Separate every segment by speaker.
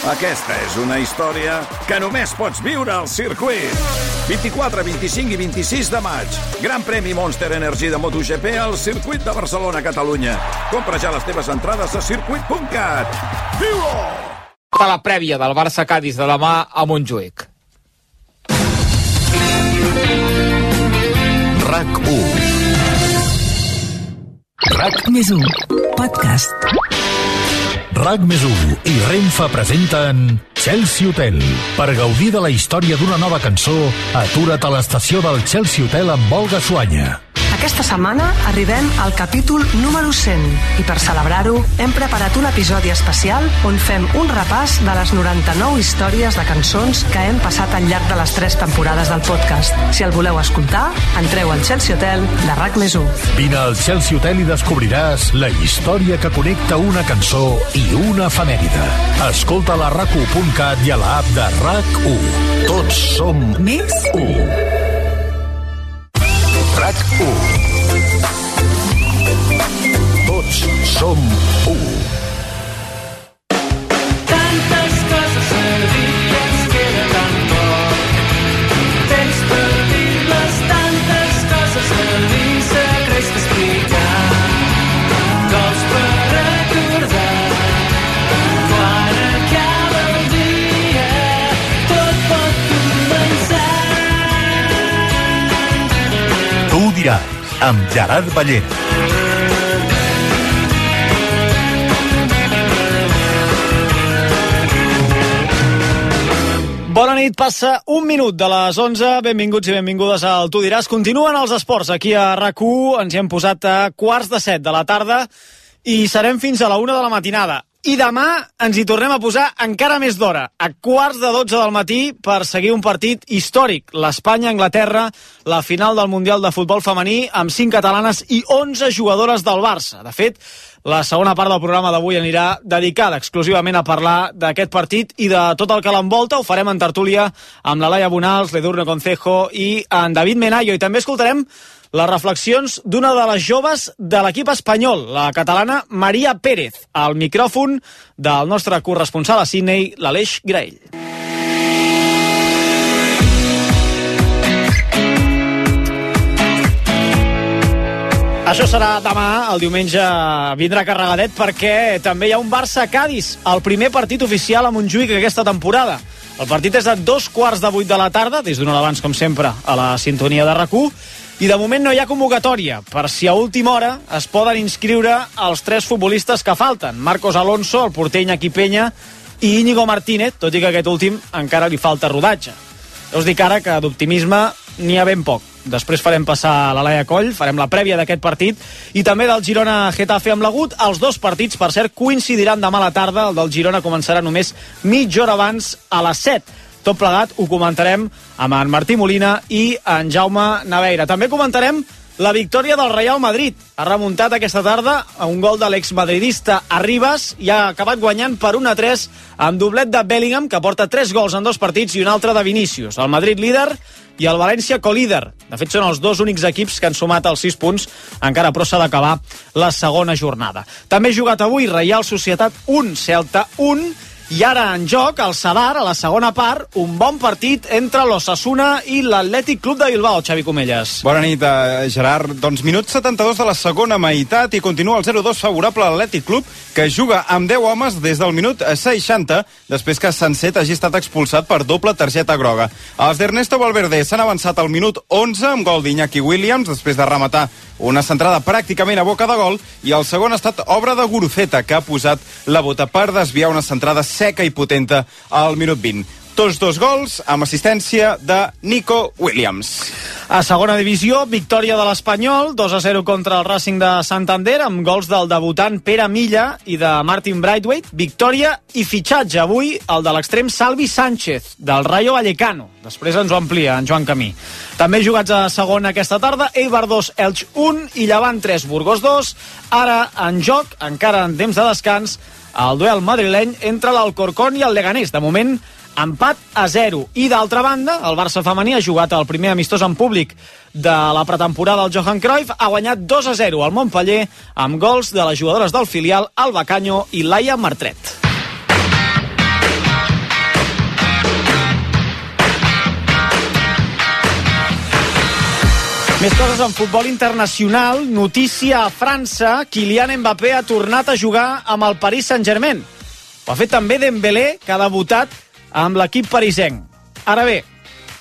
Speaker 1: Aquesta és una història que només pots viure al circuit. 24, 25 i 26 de maig. Gran premi Monster Energy de MotoGP al circuit de Barcelona, Catalunya. Compra ja les teves entrades a circuit.cat. Viu-ho!
Speaker 2: A la prèvia del Barça-Cadis de demà a Montjuïc.
Speaker 3: RAC1. RAC+1 Podcast. RAC+1 i Renfe presenten Chelsea Hotel. Per gaudir de la història d'una nova cançó, atura't a l'estació del Chelsea Hotel amb Olga Suanya.
Speaker 4: Aquesta setmana arribem al capítol número 100 i per celebrar-ho hem preparat un episodi especial on fem un repàs de les 99 històries de cançons que hem passat al llarg de les 3 temporades del podcast. Si el voleu escoltar, entreu al Chelsea Hotel de RAC+1.
Speaker 3: Vine al Chelsea Hotel i descobriràs la història que connecta una cançó i una efemèride. Escolta-la a RAC1.cat i a l'app de RAC1. Tots som més 1. RAC1. Tots som 1.
Speaker 5: Tantes coses a dir que ens queda tan poc. Temps per dir-les, tantes coses a dir, secrets d'explicar. Cols per recordar. Quan acaba el dia, tot pot començar.
Speaker 3: Tu diràs, amb Gerard Ballera.
Speaker 6: Bona nit, passa un minut de les 11. Benvinguts i benvingudes al Tu diràs. Continuen els esports aquí a RAC1. Ens hi hem posat a 7:15 de la tarda i serem fins a la 1 de la matinada. I demà ens hi tornem a posar encara més d'hora, a 11:45 del matí, per seguir un partit històric. l'Espanya-Anglaterra, la final del Mundial de Futbol Femení, amb 5 catalanes i 11 jugadores del Barça. De fet, la segona part del programa d'avui anirà dedicada exclusivament a parlar d'aquest partit i de tot el que l'envolta. Ho farem en tertúlia amb la Laia Bonals, l'Edurne Concejo i en David Menayo. I també escoltarem les reflexions d'una de les joves de l'equip espanyol, la catalana Maria Pérez, al micròfon del nostre corresponsal a Sydney, l'Aleix Graell. Això serà demà, el diumenge vindrà carregadet perquè també hi ha un Barça-Cadis, el primer partit oficial a Montjuïc aquesta temporada. El partit és a 7:15 de la tarda, des d'una hora abans, com sempre, a la sintonia de RAC1, i de moment no hi ha convocatòria, per si a última hora es poden inscriure els 3 futbolistes que falten. Marcos Alonso, el porter Iñaki Peña i Íñigo Martínez, tot i que aquest últim encara li falta rodatge. Ja us dic ara que d'optimisme n'hi ha ben poc. Després farem passar la Laia Coll, farem la prèvia d'aquest partit i també del Girona-Getafe amb l'agut. Els 2 partits, per cert, coincidiran demà a la tarda. El del Girona començarà només mitja hora abans, a les 7. Tot plegat ho comentarem amb en Martí Molina i en Jaume Naveira. També comentarem la victòria del Real Madrid. Ha remuntat aquesta tarda a un gol de l'exmadridista Arribas i ha acabat guanyant per 1-3 amb doblet de Bellingham, que porta 3 gols en 2 partits i un altre de Vinícius. El Madrid líder i el València colíder. De fet, són els 2 únics equips que han sumat els 6 punts, encara però s'ha d'acabar la segona jornada. També ha jugat avui Reial Societat 1, Celta 1, i ara en joc, el Sadar, a la segona part, un bon partit entre l'Osasuna i l'Atlètic Club de Bilbao, Xavi Comelles.
Speaker 7: Bona nit, Gerard. Doncs minut 72 de la segona meitat i continua el 0-2 favorable a l'Atlètic Club, que juga amb 10 homes des del minut 60, després que Sanset hagi estat expulsat per doble targeta groga. Els d'Ernesto Valverde s'han avançat al minut 11 amb gol d'Iñaki Williams, després de rematar una centrada pràcticament a boca de gol, i el segon ha estat obra de Guruceta, que ha posat la bota per desviar una centrada seca i potenta al minut 20. Tots 2 gols amb assistència de Nico Williams.
Speaker 6: A segona divisió, victòria de l'Espanyol, 2-0 contra el Racing de Santander, amb gols del debutant Pere Milla i de Martin Braithwaite. Victòria i fitxatge avui, el de l'extrem Salvi Sánchez, del Rayo Vallecano. Després ens ho amplia en Joan Camí. També jugats a segona aquesta tarda, Eibar 2, Elx 1 i Llevant 3, Burgos 2. Ara en joc, encara en temps de descans, el duel madrileny entre l'Alcorcón i el Leganés. De moment, empat a 0. I d'altra banda, el Barça femení ha jugat el primer amistós en públic de la pretemporada al Johan Cruyff, ha guanyat 2-0 al Montpeller amb gols de les jugadores del filial Alba Caño i Laia Martret. Més coses en futbol internacional. Notícia a França. Kylian Mbappé ha tornat a jugar amb el Paris Saint-Germain. Ho ha fet també Dembélé, que ha debutat amb l'equip parisenc. Ara bé,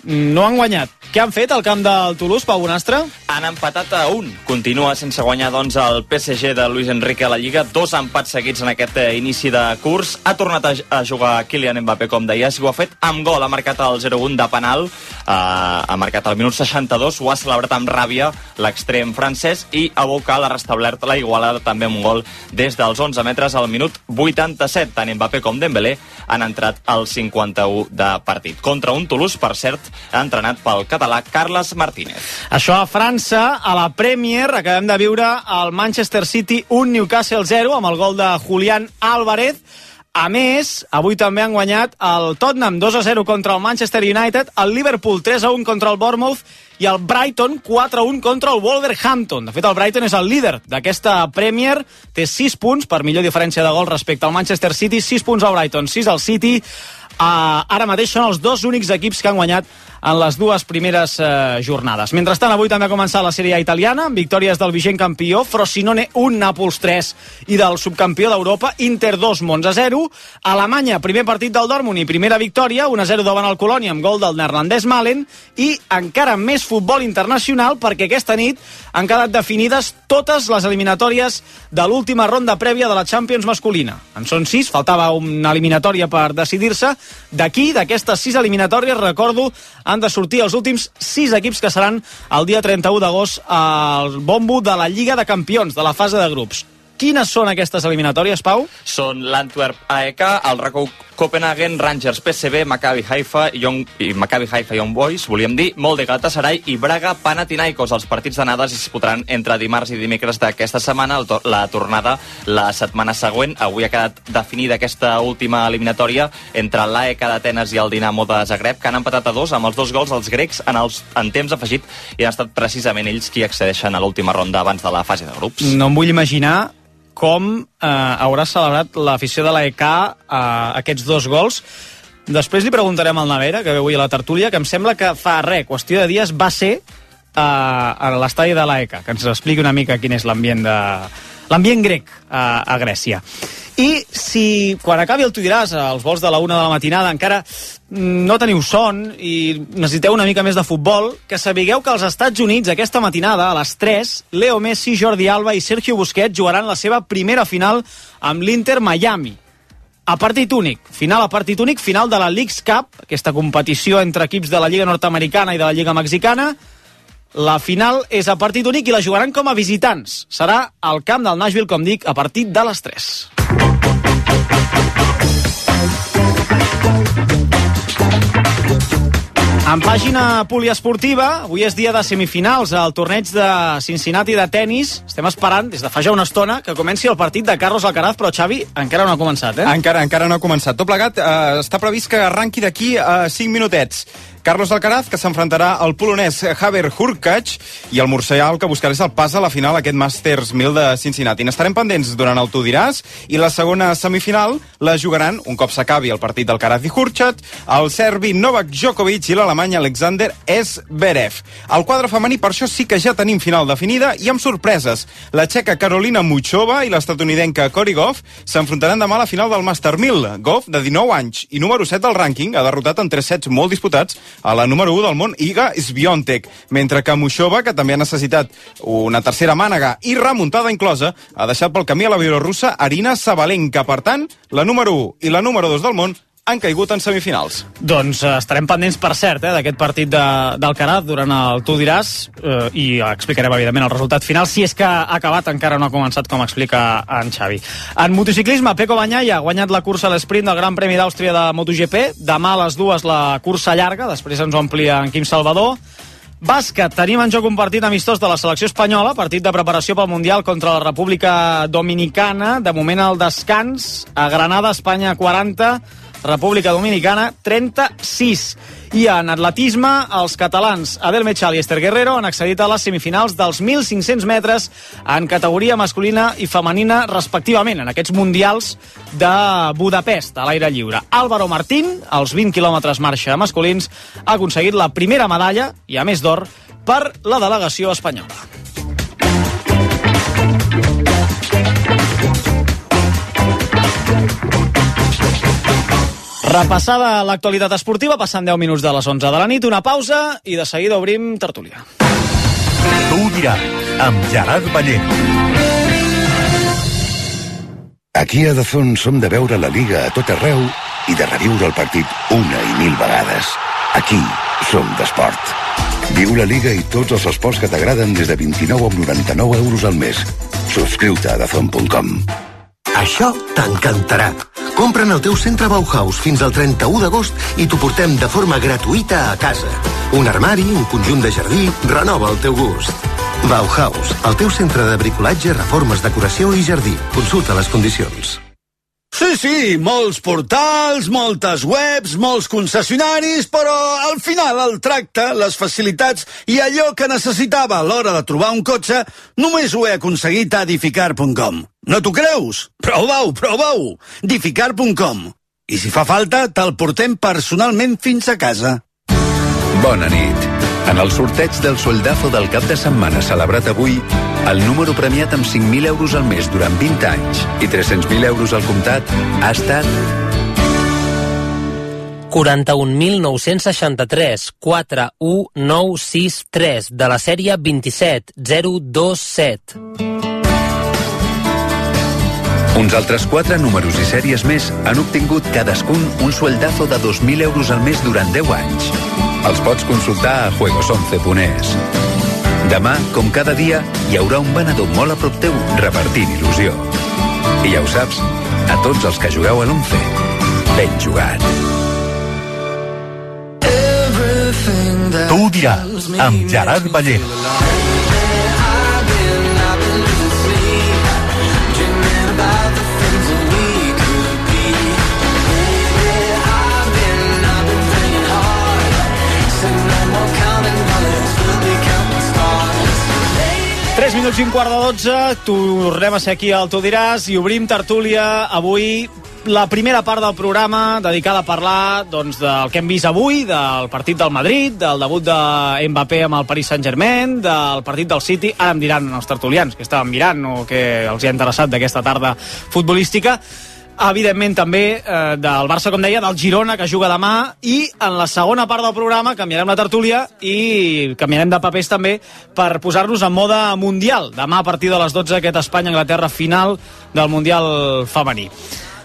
Speaker 6: no han guanyat. Què han fet al camp del Toulouse, Pau Bonastre?
Speaker 8: Han empatat a 1. Continua sense guanyar, doncs, el PSG de Luis Enrique a la Lliga. 2 empats seguits en aquest inici de curs. Ha tornat a jugar Kylian Mbappé, com deies, i ho ha fet amb gol. Ha marcat el 0-1 de penal. Ha marcat al minut 62. Ho ha celebrat amb ràbia l'extrem francès i a Bocal ha restablert la igualada també amb un gol des dels 11 metres al minut 87. Tant Mbappé com Dembélé han entrat al 51 de partit. Contra un Toulouse, per cert, entrenat pel català Carles Martínez.
Speaker 6: Això a França. A la Premier acabem de viure el Manchester City 1, Newcastle 0, amb el gol de Julián Álvarez. A més, avui també han guanyat el Tottenham 2-0 contra el Manchester United, el Liverpool 3-1 contra el Bournemouth i el Brighton 4-1 contra el Wolverhampton. De fet, el Brighton és el líder d'aquesta Premier, té 6 punts, per millor diferència de gol respecte al Manchester City, 6 punts al Brighton, 6 al City. Ara mateix són els 2 únics equips que han guanyat en les 2 primeres jornades. Mentrestant, avui també ha començat la Sèrie A italiana, amb victòries del vigent campió, Frosinone 1, Nàpols 3, i del subcampió d'Europa, Inter 2, Monza 0. Alemanya, primer partit del Dortmund i primera victòria, 1-0 davant el Colònia amb gol del neerlandès Malen, i encara més futbol internacional, perquè aquesta nit han quedat definides totes les eliminatòries de l'última ronda prèvia de la Champions masculina. En són 6, faltava una eliminatòria per decidir-se. D'aquí, d'aquestes 6 eliminatòries, recordo, han de sortir els últims 6 equips que seran el dia 31 d'agost al bombo de la Lliga de Campions, de la fase de grups. Quines són aquestes eliminatòries, Pau?
Speaker 8: Són l'Antwerp AEK, el RACO Copenhagen, Rangers PSV, Maccabi Haifa i Young Boys, volíem dir, Molde Galatasaray i Braga Panathinaikos. Els partits d'anada es disputaran entre dimarts i dimecres d'aquesta setmana, la tornada la setmana següent. Avui ha quedat definida aquesta última eliminatòria entre l'AEK d'Atenes i el Dinamo de Zagreb, que han empatat a 2 amb els 2 gols dels grecs en temps afegit, i han estat precisament ells qui accedeixen a l'última ronda abans de la fase de grups.
Speaker 6: No em vull imaginar com haurà celebrat l'afició de l'AEK aquests 2 gols. Després li preguntarem al Navera, que ve avui a la tertúlia, que em sembla que fa qüestió de dies va ser a l'estadi de l'AEK, que ens expliqui una mica quin és l'ambient grec a Grècia. I si quan acabi el Tu diràs, als vols de la 1 de la matinada, encara no teniu son i necessiteu una mica més de futbol, que sapigueu que als Estats Units aquesta matinada, a les 3, Leo Messi, Jordi Alba i Sergio Busquets jugaran la seva primera final amb l'Inter Miami. A partit únic, final de la Leagues Cup, aquesta competició entre equips de la Lliga Nord-americana i de la Lliga Mexicana. La final és a partit únic i la jugaran com a visitants. Serà al camp del Nashville, com dic, a partir de les 3. En pàgina poliesportiva, avui és dia de semifinals al torneig de Cincinnati de tennis. Estem esperant, des de fa ja una estona, que comenci el partit de Carlos Alcaraz, però Xavi encara no ha començat, eh?
Speaker 7: Encara no ha començat. Tot plegat està previst que arranqui d'aquí a 5 minutets. Carlos Alcaraz, que s'enfrontarà al polonès Hubert Hurkacz, i el murcià, que buscarà el pas a la final aquest Masters 1000 de Cincinnati. N'estarem pendents durant el Tu diràs, i la segona semifinal la jugaran, un cop s'acabi el partit d'Alcaraz i Hurkacz, el serbi Novak Djokovic i l'alemany Alexander Zverev. Al quadre femení, per això sí que ja tenim final definida, i amb sorpreses. La txeca Karolina Muchova i l'estatunidenca Cory Goff s'enfrontaran demà a la final del Master 1000. Goff, de 19 anys i número 7 del rànquing, ha derrotat en 3 sets molt disputats a la número 1 del món, Iga Swiatek, mentre que Muchova, que també ha necessitat una tercera mànega i remuntada inclosa, ha deixat pel camí a la bielorrussa Arina Sabalenka. Per tant, la número 1 i la número 2 del món han caigut en semifinals.
Speaker 6: Doncs estarem pendents, per cert, d'aquest partit d'Alcaraz durant el Tu diràs, i explicarem, evidentment, el resultat final. Si és que ha acabat, encara no ha començat, com explica en Xavi. En motociclisme, Pecco Bagnaia ha guanyat la cursa a l'esprint del Gran Premi d'Àustria de MotoGP. Demà a les 2 la cursa llarga, després ens ho amplia en Quim Salvador. Bàsquet, tenim en joc un partit amistós de la selecció espanyola, partit de preparació pel Mundial contra la República Dominicana. De moment al descans, a Granada, Espanya 40, República Dominicana 36. I en atletisme, els catalans Adel Mechal i Esther Guerrero han accedit a les semifinals dels 1.500 metres en categoria masculina i femenina, respectivament, en aquests mundials de Budapest, a l'aire lliure. Álvaro Martín, als 20 quilòmetres marxa masculins, ha aconseguit la primera medalla, i a més d'or, per la delegació espanyola. Repassada l'actualitat esportiva, passant 10 minuts de les 11 de la nit, una pausa i de seguida obrim tertúlia.
Speaker 3: Tu ho diràs, amb Gerard Ballén.
Speaker 9: Aquí a Dazón som de veure la Liga a tot arreu i de reviure el partit una i mil vegades. Aquí som d'esport. Viu la Liga i tots els esports que t'agraden des de 29,99 euros al mes. Subscriu-te a Dazón.com.
Speaker 10: Això t'encantarà. Compra en el teu centre Bauhaus fins al 31 d'agost i t'ho portem de forma gratuïta a casa. Un armari, un conjunt de jardí, renova el teu gust. Bauhaus, el teu centre de bricolatge, reformes, decoració i jardí. Consulta les condicions.
Speaker 11: Sí, molts portals, moltes webs, molts concessionaris, però al final el tracte, les facilitats i allò que necessitava a l'hora de trobar un cotxe només ho he aconseguit a Edificar.com. No t'ho creus? Prova-ho! Edificar.com. I si fa falta, te'l portem personalment fins a casa.
Speaker 12: Bona nit. En el sorteig del Sueldazo del cap de setmana celebrat avui, el número premiat amb 5.000 euros al mes durant 20 anys i 300.000 euros al comptat ha estat
Speaker 13: 41.963 41963 de la sèrie 27027.
Speaker 12: Uns altres 4 números i sèries més han obtingut cadascun un sueldazo de 2.000 euros al mes durant 10 anys. Els pots consultar a juegos11.es. Demà, com cada dia, hi haurà un venedor molt a prop teu repartint il·lusió. I ja ho saps, a tots els que jugueu a l'11, ben jugat.
Speaker 3: Tu ho diràs, amb Gerard Ballén.
Speaker 6: Minuts i un quart de 12, tornem a ser aquí al Tu diràs i obrim tertúlia avui, la primera part del programa dedicada a parlar doncs, del que hem vist avui, del partit del Madrid, del debut de Mbappé amb el Paris Saint-Germain, del partit del City. Ara em diran els tertulians que estaven mirant o que els hi ha interessat d'aquesta tarda futbolística. Evidentment també del Barça, com deia, del Girona, que juga demà, i en la segona part del programa canviarem la tertúlia i canviarem de papers també per posar-nos en mode mundial. Demà a partir de les 12 aquest Espanya-Anglaterra final del Mundial femení.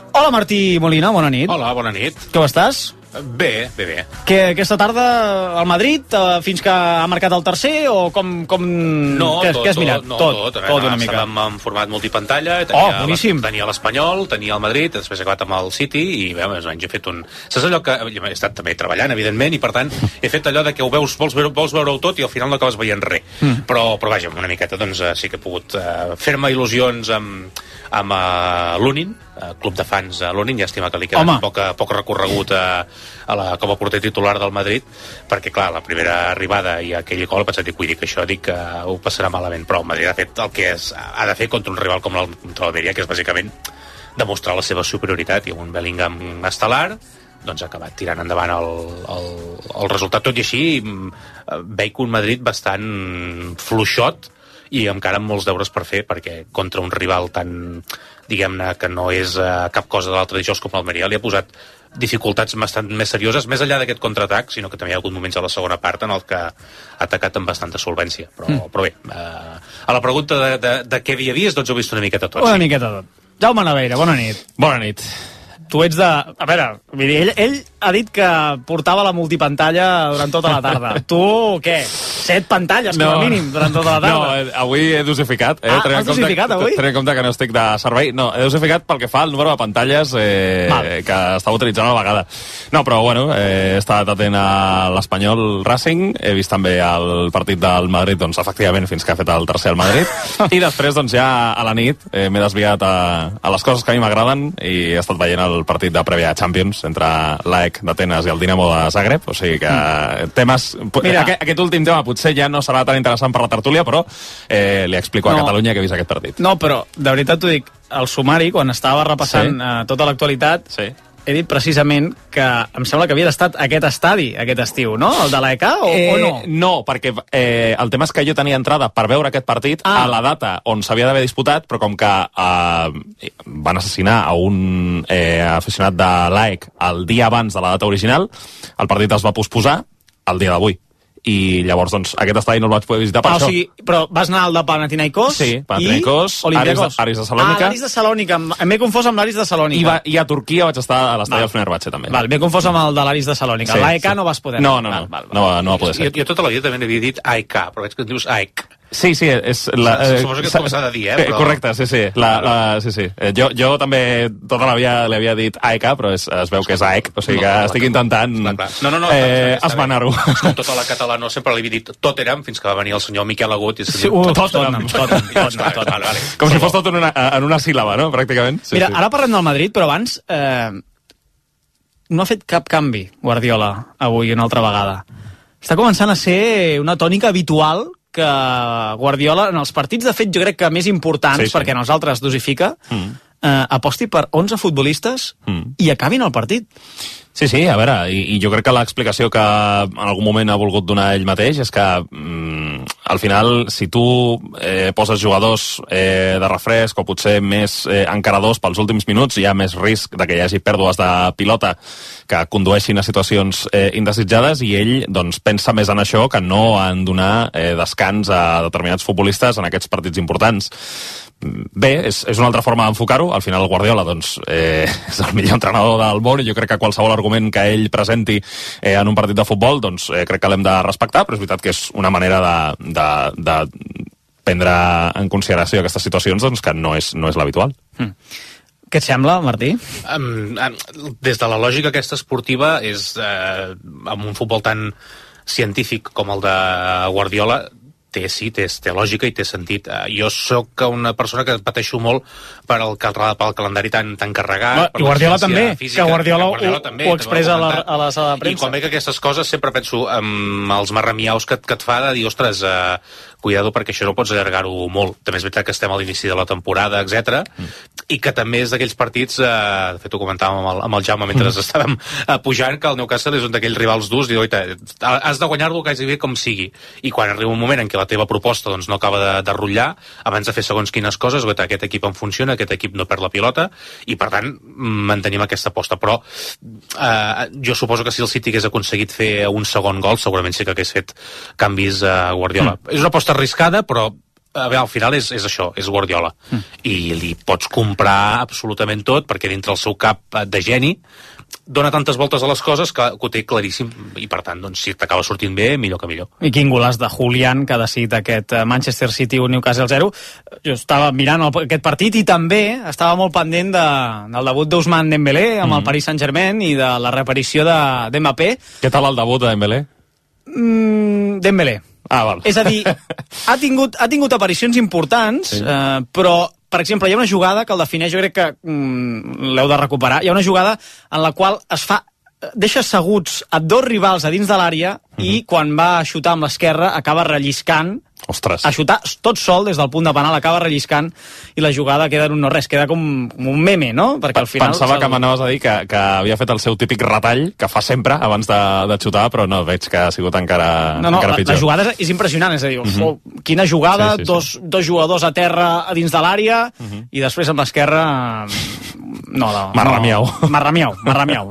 Speaker 6: Hola Martí Molina, bona nit.
Speaker 14: Hola, bona nit.
Speaker 6: Com estàs?
Speaker 14: Bé.
Speaker 6: Que aquesta tarda al Madrid, fins que ha marcat el tercer, o com
Speaker 14: no,
Speaker 6: què has mirat?
Speaker 14: Tot una mica. Estàvem en format multipantalla, tenia l'Espanyol, tenia el Madrid, després he acabat amb el City, i bé, més o menys he fet un... Saps allò que he estat també treballant, evidentment, i per tant he fet allò de que vols veure-ho tot i al final no acabes veient res. Però vaja, una miqueta doncs sí que he pogut fer-me il·lusions amb l'Unin, club de fans a l'Unin, llàstima que li queda poc recorregut com a porter titular del Madrid, perquè clar, la primera arribada i aquell gol vaig dir que això que ho passarà malament, però el Madrid ha fet el que ha de fer contra un rival com l'Almeria, que és bàsicament demostrar la seva superioritat, i amb un Bellingham estel·lar doncs ha acabat tirant endavant el resultat. Tot i així veig un Madrid bastant fluixot i encara amb molts deures per fer, perquè contra un rival tan, diguem-ne, que no és cap cosa de l'altre dijous com l'Almeria, li ha posat dificultats bastant més serioses, més enllà d'aquest contraatac, sinó que també hi ha hagut moments a la segona part en el que ha atacat amb bastanta solvència. Però bé, a la pregunta de què havia vist, doncs ho he vist una miqueta tot.
Speaker 6: Una miqueta tot. Jaume Naveira, bona nit.
Speaker 14: Bona nit.
Speaker 6: Tu ets de... A veure, ell ha dit que portava la multipantalla durant tota la tarda. Tu, què? 7 pantalles, com a mínim, durant tota la tarda?
Speaker 14: No, avui he dosificat.
Speaker 6: Has dosificat, avui?
Speaker 14: Tenint en compte que no estic de servei. No, he dosificat pel que fa al número de pantalles que estava utilitzant a la vegada. No, però, bueno, he estat atent a l'Espanyol Racing, he vist també el partit del Madrid, doncs, efectivament, fins que ha fet el tercer al Madrid, i després, doncs, ja a la nit m'he desviat a les coses que a mi m'agraden i he estat veient el partit de prèvia Champions entre l'AEK d'Atenes i el Dinamo de Zagreb, o sigui que temes... Mira, aquest últim tema potser ja no serà tan interessant per la tertúlia, però li explico a Catalunya que he vist aquest partit.
Speaker 6: No, però de veritat t'ho dic, el sumari, quan estava repassant tota l'actualitat, he dit precisament que em sembla que havia estat aquest estadi, aquest estiu, no? El de l'EK o no?
Speaker 13: No, perquè el tema és que jo tenia entrada per veure aquest partit a la data on s'havia d'haver disputat, però com que van assassinar a un aficionat de l'AEK el dia abans de la data original, el partit es va posposar el dia d'avui. I llavors, doncs, aquest estadi no el vaig poder visitar per això.
Speaker 6: O sigui, però vas anar al de Panathinaikos
Speaker 13: sí, Panathinaikos, Aris de Salònica.
Speaker 6: L'Aris de Salònica, m'he confós amb l'Aris de Salònica.
Speaker 13: I a Turquia vaig estar a l'estadi del Fenerbahçe, també.
Speaker 6: Val, m'he confós amb el de l'Aris de Salònica.
Speaker 13: Sí,
Speaker 6: L'AEK no vas poder anar.
Speaker 13: No va poder ser.
Speaker 14: Jo tota la vida també n'havia dit AEK, però veig que et dius AEK.
Speaker 13: Sí, és...
Speaker 14: Suposo que és com s'ha de dir, però...
Speaker 13: Correcte, sí. Sí. Jo també tota la vida li havia dit AEK, però es veu que és AEK, o sigui que estic intentant esmenar-ho.
Speaker 14: Tota la catalana sempre li havia dit Tottenham, fins que va venir el senyor Miquel Agut i se diu
Speaker 6: Tottenham.
Speaker 13: Com si fos tot en una síl·laba, no?, pràcticament.
Speaker 6: Mira, ara parlem del Madrid, però abans no ha fet cap canvi Guardiola avui una altra vegada. Està començant a ser una tònica habitual que Guardiola, en els partits, de fet, jo crec que més importants, perquè nosaltres dosifica, aposti per 11 futbolistes i acabin el partit.
Speaker 13: Sí, a veure, i jo crec que l'explicació que en algun moment ha volgut donar ell mateix és que al final, si tu poses jugadors de refresc o potser més encaradors pels últims minuts, hi ha més risc de que hi hagi pèrdues de pilota que condueixin a situacions indesitjades, i ell doncs, pensa més en això que no en donar descans a determinats futbolistes en aquests partits importants. Bé, és una altra forma d'enfocar-ho. Al final el Guardiola doncs, és el millor entrenador del món, i jo crec que qualsevol argument que ell presenti en un partit de futbol doncs, crec que l'hem de respectar, però és veritat que és una manera de prendre en consideració aquestes situacions doncs, que no és l'habitual.
Speaker 6: Què et sembla, Martí?
Speaker 14: Des de la lògica aquesta esportiva, és amb un futbol tan científic com el de Guardiola, té lògica i té sentit. Jo sóc una persona que pateixo molt pel calendari tan carregat.
Speaker 6: I Guardiola també,
Speaker 14: física,
Speaker 6: que Guardiola ho expressa a la sala de premsa.
Speaker 14: I quan veig aquestes coses sempre penso en els marramiaus que et fa de dir, ostres, cuidado, perquè això no pots allargar-ho molt. També és veritat que estem a l'inici de la temporada, etc. I que també és d'aquells partits, de fet ho comentàvem amb el Jaume mentre estàvem pujant, que el Newcastle és un d'aquells rivals durs, i has de guanyar-lo quasi bé com sigui. I quan arriba un moment en què la teva proposta doncs, no acaba de rotllar, abans de fer segons quines coses, aquest equip em funciona, aquest equip no perd la pilota, i per tant mantenim aquesta aposta. Però jo suposo que si el City hagués aconseguit fer un segon gol, segurament sí que hagués fet canvis a Guardiola. És una aposta arriscada, però al final és això, és Guardiola. I li pots comprar absolutament tot, perquè dintre el seu cap de geni dona tantes voltes a les coses que ho té claríssim, i per tant, doncs, si t'acaba sortint bé, millor que millor.
Speaker 6: I quin golaç de Julián, que ha decidit aquest Manchester City 1 Newcastle 0. Jo estava mirant aquest partit i també estava molt pendent del debut d'Ousmane Dembélé amb el Paris Saint-Germain i de la reaparició d'Mbappé.
Speaker 13: Què tal el debut de Dembélé?
Speaker 6: Dembélé.
Speaker 13: Val.
Speaker 6: És a dir, ha tingut aparicions importants, però, per exemple, hi ha una jugada que el defineix, jo crec que l'heu de recuperar, hi ha una jugada en la qual deixa asseguts a dos rivals a dins de l'àrea i quan va a xutar amb l'esquerra acaba relliscant.
Speaker 13: Ostres.
Speaker 6: A xutar tot sol des del punt de penal, acaba relliscant, i la jugada queda en un no-res, queda com un meme, no? Perquè al final...
Speaker 13: Pensava que m'anaves a dir que havia fet el seu típic retall, que fa sempre abans de xutar, però no, veig que ha sigut encara pitjor.
Speaker 6: La jugada és impressionant, és a dir, quina jugada, dos jugadors a terra a dins de l'àrea, i després amb l'esquerra...
Speaker 13: Marramiau,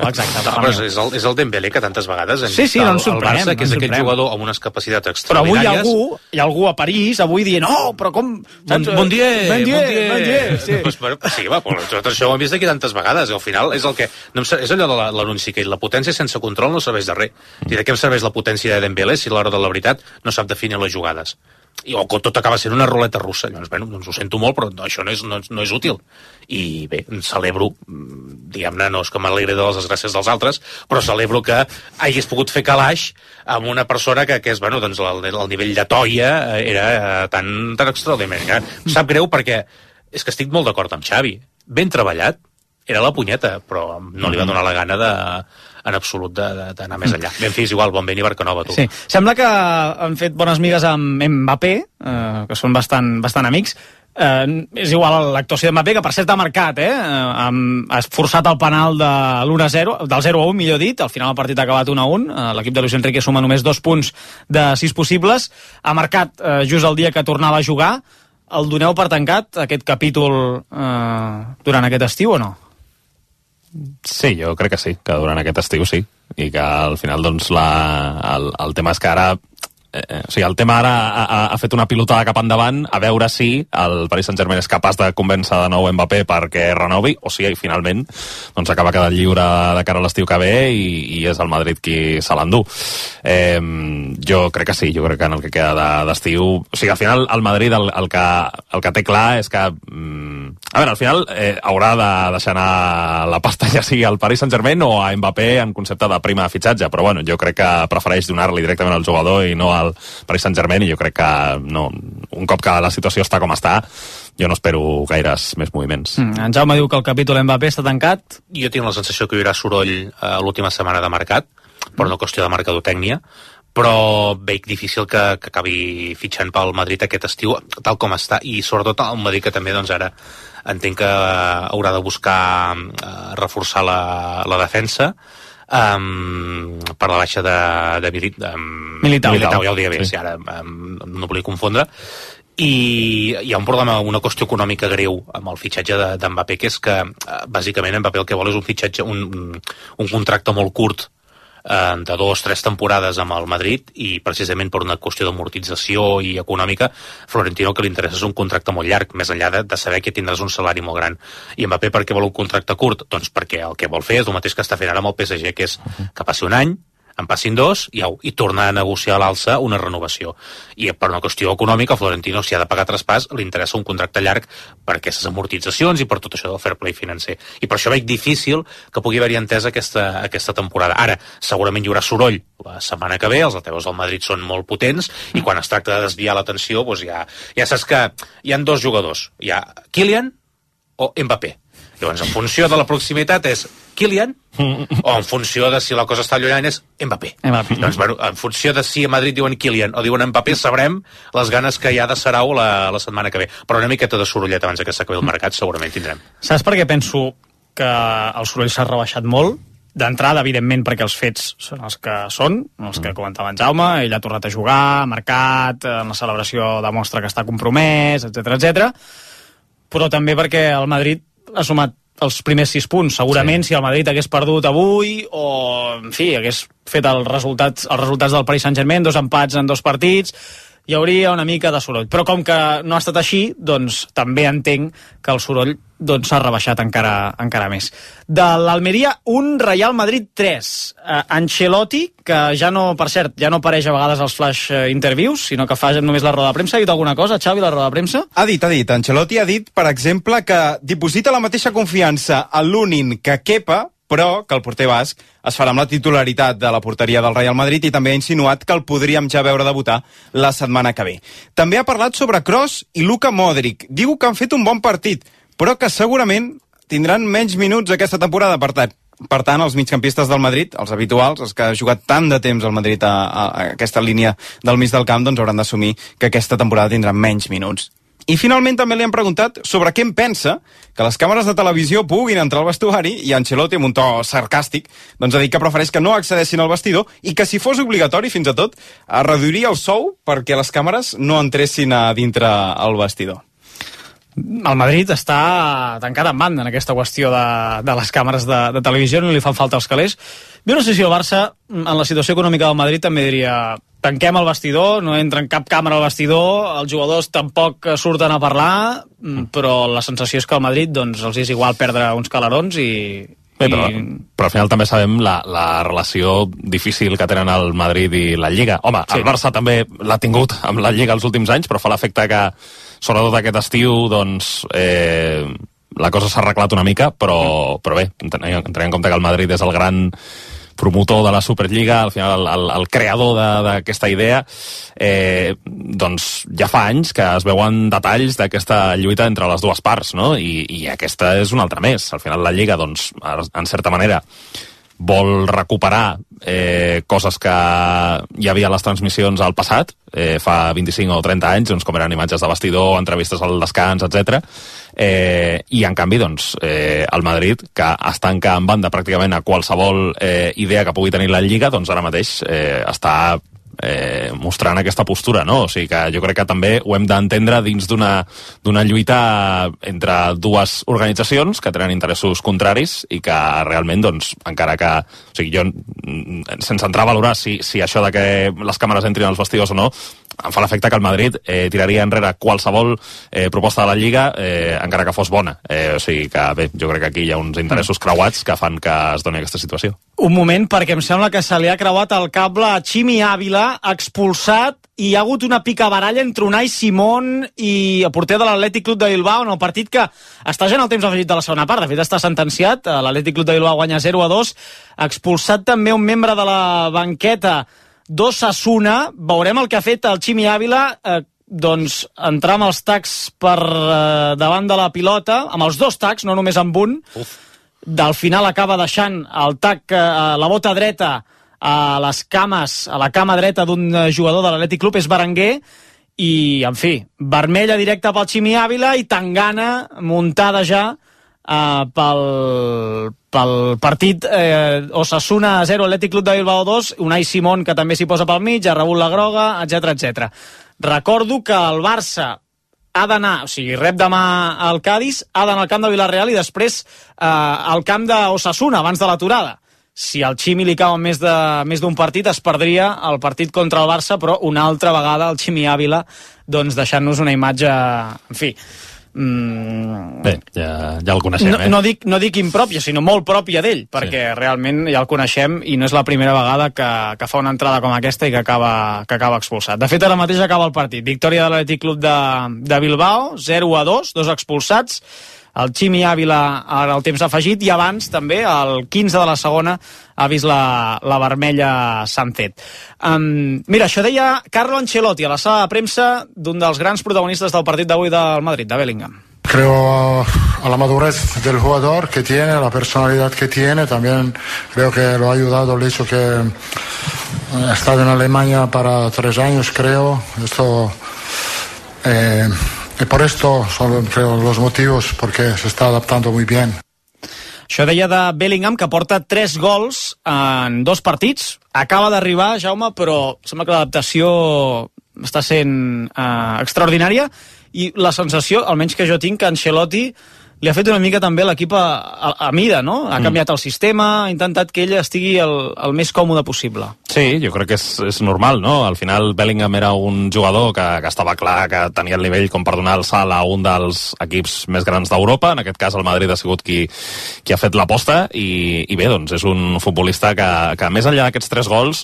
Speaker 6: exacte.
Speaker 14: Però és el Dembélé que tantes vegades
Speaker 6: no ens sorprenem,
Speaker 14: Barça, que és aquest jugador amb unes capacitats extraordinàries.
Speaker 6: Però avui hi ha algú a París, avui dient, però com...
Speaker 14: Bon dia.
Speaker 6: Sí,
Speaker 14: tot això ho hem vist aquí tantes vegades, i al final és el que... És allò de l'anunci, que la potència sense control no serveix de res. I de què em serveix la potència de Dembélé si a l'hora de la veritat no sap definir les jugades? O que tot acaba sent una ruleta russa. Llavors, doncs ho sento molt, però això no és útil. I bé, celebro, diguem-ne, no és que m'alegri de les desgràcies dels altres, però celebro que hagués pogut fer calaix amb una persona que és, doncs, el nivell de toia era tan extraordinari. Sap greu perquè és que estic molt d'acord amb Xavi. Ben treballat, era la punyeta, però no li va donar la gana en absolut d'anar més enllà. Ben fis, igual, bon vent i Barcanova, tu.
Speaker 6: Sí. Sembla que han fet bones migues amb Mbappé, que són bastant amics. és igual l'actuació de Mbappé, que per cert ha marcat, ha forçat el penal de l'1-0, del 0-1, millor dit, al final el partit ha acabat 1-1, l'equip de Luis Enrique suma només 2 punts de 6 possibles, ha marcat just el dia que tornava a jugar. El doneu per tancat, aquest capítol, durant aquest estiu o no?
Speaker 13: Sí, jo crec que sí, que durant aquest estiu sí, i que al final doncs el tema és que ara o sigui, el tema ara ha fet una pilotada cap endavant a veure si el Paris Saint-Germain és capaç de convèncer de nou Mbappé perquè renovi, o si finalment doncs acaba quedant lliure de cara a l'estiu que ve i és el Madrid qui se l'endú. Jo crec que sí, jo crec que en el que queda d'estiu, o sigui, al final el Madrid el que té clar és que a veure, al final haurà de deixar anar la pasta ja sigui al Paris Saint-Germain o a Mbappé en concepte de prima de fitxatge, però bueno, jo crec que prefereix donar-li directament al jugador i no al Paris Saint-Germain, i jo crec que no, un cop que la situació està com està, jo no espero gaires més moviments.
Speaker 6: En Jaume diu que el capítol Mbappé està tancat.
Speaker 14: Jo tinc la sensació que hi haurà soroll l'última setmana de mercat, per una qüestió de mercadotècnia, però veig difícil que acabi fitxant pel Madrid aquest estiu, tal com està, i sobretot el Madrid, que també doncs ara entenc que haurà de buscar reforçar la defensa, per la baixa de Militao, ja ho deia bé, sí. Ara no volia confondre, i hi ha un problema, una qüestió econòmica greu amb el fitxatge de Mbappé, que és que bàsicament Mbappé el que vol és un fitxatge, un contracte molt curt de 2-3 temporades amb el Madrid, i precisament per una qüestió d'amortització i econòmica, Florentino el que li interessa és un contracte molt llarg, més enllà de saber que tindràs un salari molt gran. I Mbappé per què vol un contracte curt? Doncs perquè el que vol fer és el mateix que està fent ara amb el PSG, que és que passi un any, en passin 2 i tornar a negociar a l'alça una renovació. I per una qüestió econòmica, Florentino, si ha de pagar traspàs, li interessa un contracte llarg per aquestes amortitzacions i per tot això del fair play financer. I per això veig difícil que pugui haver-hi entesa aquesta temporada. Ara, segurament hi haurà soroll la setmana que ve, els altaveus del Madrid són molt potents, i quan es tracta de desviar l'atenció, doncs ja saps que hi ha 2 jugadors. Hi ha Kylian o Mbappé. Llavors, en funció de la proximitat és Kylian, o en funció de si la cosa està allunyant és Mbappé. Doncs, bueno, en funció de si a Madrid diuen Kylian o diuen Mbappé, sabrem les ganes que hi ha de Sarau la setmana que ve. Però una miqueta de sorollet abans que s'acabi el mercat segurament tindrem.
Speaker 6: Saps per què penso que el soroll s'ha rebaixat molt? D'entrada, evidentment, perquè els fets són els que són, els que comentava en Jaume, ell ha tornat a jugar, ha marcat, en la celebració demostra que està compromès, etc. Però també perquè el Madrid ha sumat els primers 6 punts. Segurament si el Madrid hagués perdut avui o, en fi, hagués fet els resultats del Paris Saint-Germain, 2 empats en 2 partits, hi hauria una mica de soroll. Però com que no ha estat així, doncs també entenc que el soroll s'ha rebaixat encara més. De l'Almeria, 1, Real Madrid 3. Ancelotti, que ja no, per cert, ja no apareix a vegades als flash interviews, sinó que fa només la roda de premsa. Ha dit alguna cosa, Xavi, la roda de premsa?
Speaker 7: Ha dit. Ancelotti ha dit, per exemple, que diposita la mateixa confiança a l'Unin que Kepa, però que el porter basc es farà amb la titularitat de la porteria del Real Madrid, i també ha insinuat que el podríem ja veure debutar la setmana que ve. També ha parlat sobre Kroos i Luka Modric. Diu que han fet un bon partit, però que segurament tindran menys minuts aquesta temporada. Per tant, els migcampistes del Madrid, els habituals, els que han jugat tant de temps al Madrid a aquesta línia del mig del camp, doncs hauran d'assumir que aquesta temporada tindran menys minuts. I finalment també li han preguntat sobre què en pensa que les càmeres de televisió puguin entrar al vestuari, i Ancelotti, amb un to sarcàstic, doncs ha dit que prefereix que no accedeixin al vestidor i que si fos obligatori, fins i tot, reduiria el sou perquè les càmeres no entressin a dintre el vestidor.
Speaker 6: El Madrid està tancat en banda en aquesta qüestió de les càmeres de televisió, no li fan falta els calés. Jo no sé si el Barça, en la situació econòmica del Madrid, també diria tanquem el vestidor, no entra en cap càmera al vestidor, els jugadors tampoc surten a parlar, però la sensació és que al Madrid doncs, els és igual perdre uns calarons i...
Speaker 13: Bé, però al final també sabem la relació difícil que tenen el Madrid i la Lliga. Home, sí. El Barça també l'ha tingut amb la Lliga els últims anys, però fa l'efecte que, sobretot aquest estiu, doncs, la cosa s'ha arreglat una mica, però bé, entenem en compte que el Madrid és el gran promotor de la Superliga, al final el creador d'aquesta idea, doncs ja fa anys que es veuen detalls d'aquesta lluita entre les dues parts, no? I aquesta és una altra més. Al final la Lliga, doncs, en certa manera, vol recuperar coses que hi havia a les transmissions al passat, fa 25 o 30 anys, doncs, com eren imatges de vestidor, entrevistes al descans, etc. I en canvi, doncs, el Madrid, que es tanca en banda pràcticament a qualsevol idea que pugui tenir la Lliga, doncs ara mateix està mostrant aquesta postura, no? O sigui que jo crec que també ho hem d'entendre dins d'una lluita entre dues organitzacions que tenen interessos contraris i que realment, doncs, encara que... O sigui, jo, sense entrar a valorar si això de que les càmeres entrin als vestidors o no, em fa l'efecte que el Madrid tiraria enrere qualsevol proposta de la Lliga, encara que fos bona. O sigui que, bé, jo crec que aquí hi ha uns interessos creuats que fan que es doni aquesta situació.
Speaker 6: Un moment, perquè em sembla que se li ha creuat el cable a Chimi Ávila, expulsat, i hi ha hagut una picabaralla entre Unai Simón i el porter de l'Atlètic Club de Bilbao en el partit que està ja en el temps afegit de la segona part. De fet, està sentenciat. L'Atlètic Club de Bilbao guanya 0-2. Expulsat també un membre de la banqueta d'Osasuna. Veurem el que ha fet el Chimi Ávila, doncs entrar amb els tacs per davant de la pilota, amb els dos tacs, no només amb un. Del final acaba deixant el tac, la bota dreta a les cames, a la cama dreta d'un jugador de l'Atlètic Club, és Berenguer, i, en fi, vermella directa pel Chimi Ávila i tangana muntada ja pel partit Osasuna 0, Atlètic Club de Bilbao 2, Unai Simón, que també s'hi posa pel mig, ha rebut la groga, etc. Recordo que el Barça ha d'anar, o sigui, rep demà al Cádiz, ha d'anar al camp de Villarreal i després al camp d'Osasuna, abans de l'aturada. Si al Chimi li cau més d'un partit, es perdria el partit contra el Barça, però una altra vegada el Chimi Ávila, doncs deixant-nos una imatge, en fi...
Speaker 13: Bé, ja el coneixem,
Speaker 6: no dic impròpia, sinó molt pròpia d'ell, perquè realment ja el coneixem i no és la primera vegada que fa una entrada com aquesta i que acaba expulsat. De fet, ara mateix acaba el partit. Victòria de l'Atlètic Club de Bilbao, 0-2, 2 expulsats. El Chimi Ávila ara el temps afegit i abans també el 15 de la segona ha vist la vermella Sancet. Mira, això deia Carlo Ancelotti a la sala de premsa d'un dels grans protagonistes del partit d'avui del Madrid, de Bellingham.
Speaker 15: Creo a la madurez del jugador que tiene, la personalidad que tiene, también creo que lo ha ayudado el hecho que ha estado en Alemania para 3 años, creo. Esto... Y por esto son, creo, los motivos porque se está adaptando muy bien.
Speaker 6: Això deia de Bellingham, que porta 3 gols en 2 partits. Acaba d'arribar, Jaume, però sembla que l'adaptació està sent extraordinària i la sensació, almenys que jo tinc, que Ancelotti li ha fet una mica també l'equip a mida, no? Ha canviat el sistema, ha intentat que ell estigui el més còmode possible.
Speaker 13: Sí, jo crec que és normal, no? Al final Bellingham era un jugador que estava clar que tenia el nivell com per donar el salt a un dels equips més grans d'Europa. En aquest cas el Madrid ha sigut qui ha fet l'aposta i bé, doncs és un futbolista que més enllà d'aquests 3 gols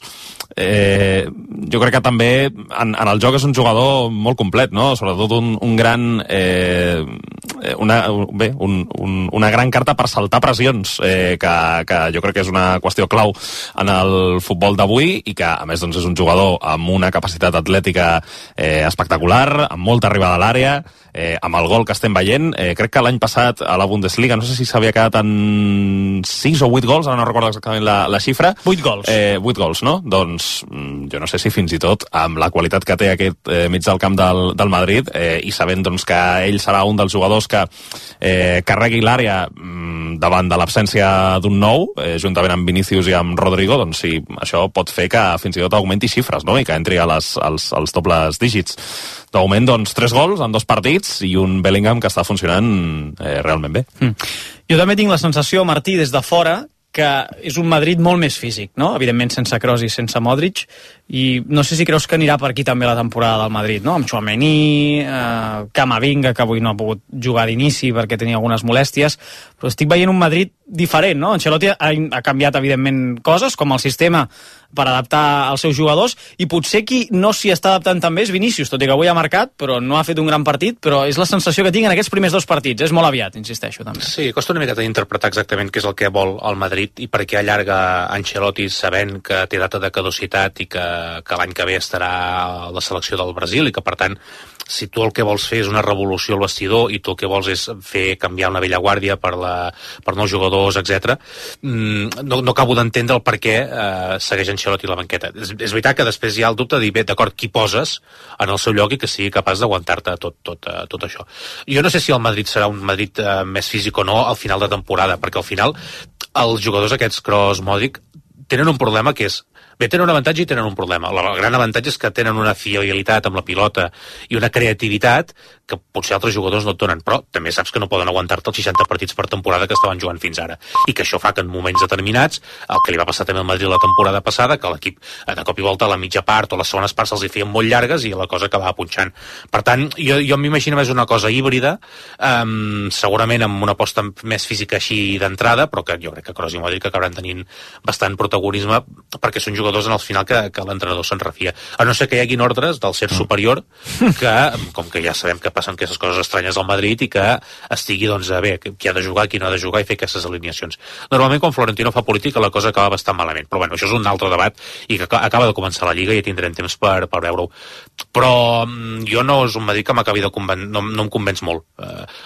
Speaker 13: jo crec que també en el joc és un jugador molt complet, no? Sobretot un gran una gran carta per saltar pressions, que jo crec que és una qüestió clau en el futbol d'avui i que a més doncs, és un jugador amb una capacitat atlètica espectacular, amb molta arribada a l'àrea, amb el gol que estem veient. Crec que l'any passat a la Bundesliga, no sé si s'havia quedat en 6 o 8 gols, ara no recordo exactament la xifra.
Speaker 6: 8 gols.
Speaker 13: 8 gols, no? Doncs jo no sé si fins i tot amb la qualitat que té aquest mig del camp del Madrid i sabent doncs, que ell serà un dels jugadors que carregui l'àrea davant de l'absència d'un nou, juntament amb Vinícius i amb Rodrigo, doncs sí, això pot fer que fins i tot augmenti xifres, no? I que entri als dobles dígits. De moment, doncs, 3 gols en 2 partits i un Bellingham que està funcionant realment bé.
Speaker 6: Jo també tinc la sensació, Martí, des de fora, que és un Madrid molt més físic, no? Evidentment sense Kroos i sense Modric, i no sé si creus que anirà per aquí també la temporada del Madrid, no? Amb Tchouaméni, Camavinga, que avui no ha pogut jugar d'inici perquè tenia algunes molèsties, però estic veient un Madrid diferent, no? Ancelotti ha canviat, evidentment, coses, com el sistema per adaptar als seus jugadors, i potser qui no s'hi està adaptant també és Vinícius, tot i que avui ha marcat, però no ha fet un gran partit, però és la sensació que tinc en aquests primers 2 partits. És molt aviat, insisteixo, també.
Speaker 14: Sí, costa una miqueta d'interpretar exactament què és el que vol el Madrid, Madrid i per què allarga Ancelotti sabent que té data de caducitat i que l'any que ve estarà a la selecció del Brasil i que, per tant, si tu el que vols fer és una revolució al vestidor i tu el que vols és fer canviar una vella guàrdia per nous jugadors, etc., no acabo d'entendre el per què segueix Ancelotti a la banqueta. És veritat que després hi ha el dubte de dir, bé, d'acord, qui poses en el seu lloc i que sigui capaç d'aguantar-te tot això. Jo no sé si el Madrid serà un Madrid més físic o no al final de temporada, perquè al final els jugadors aquests, Kroos, Modric, tenen un problema que és bé, tenen un avantatge i tenen un problema. El gran avantatge és que tenen una fiabilitat amb la pilota i una creativitat que potser altres jugadors no et donen, però també saps que no poden aguantar-te els 60 partits per temporada que estaven jugant fins ara. I que això fa que en moments determinats, el que li va passar també al Madrid la temporada passada, que l'equip de cop i volta a la mitja part o les segones parts se'ls hi feien molt llargues i la cosa acabava punxant. Per tant, jo m'imagino més una cosa híbrida, segurament amb una aposta més física així d'entrada, però que jo crec que Kroos i Modric acabaran tenint bastant protagonisme perquè són jugadors en el final que l'entrenador se'n refia. A no ser que hi haguin ordres del ser superior que, com que ja sabem que passen aquestes coses estranyes al Madrid i que estigui, doncs, bé, qui ha de jugar, qui no ha de jugar i fer aquestes alineacions. Normalment, quan Florentino fa política, la cosa acaba bastant malament. Però, bueno, això és un altre debat i que acaba de començar la Lliga i ja tindrem temps per veure-ho. Però jo no és un Madrid que m'acabi de no em convenç molt.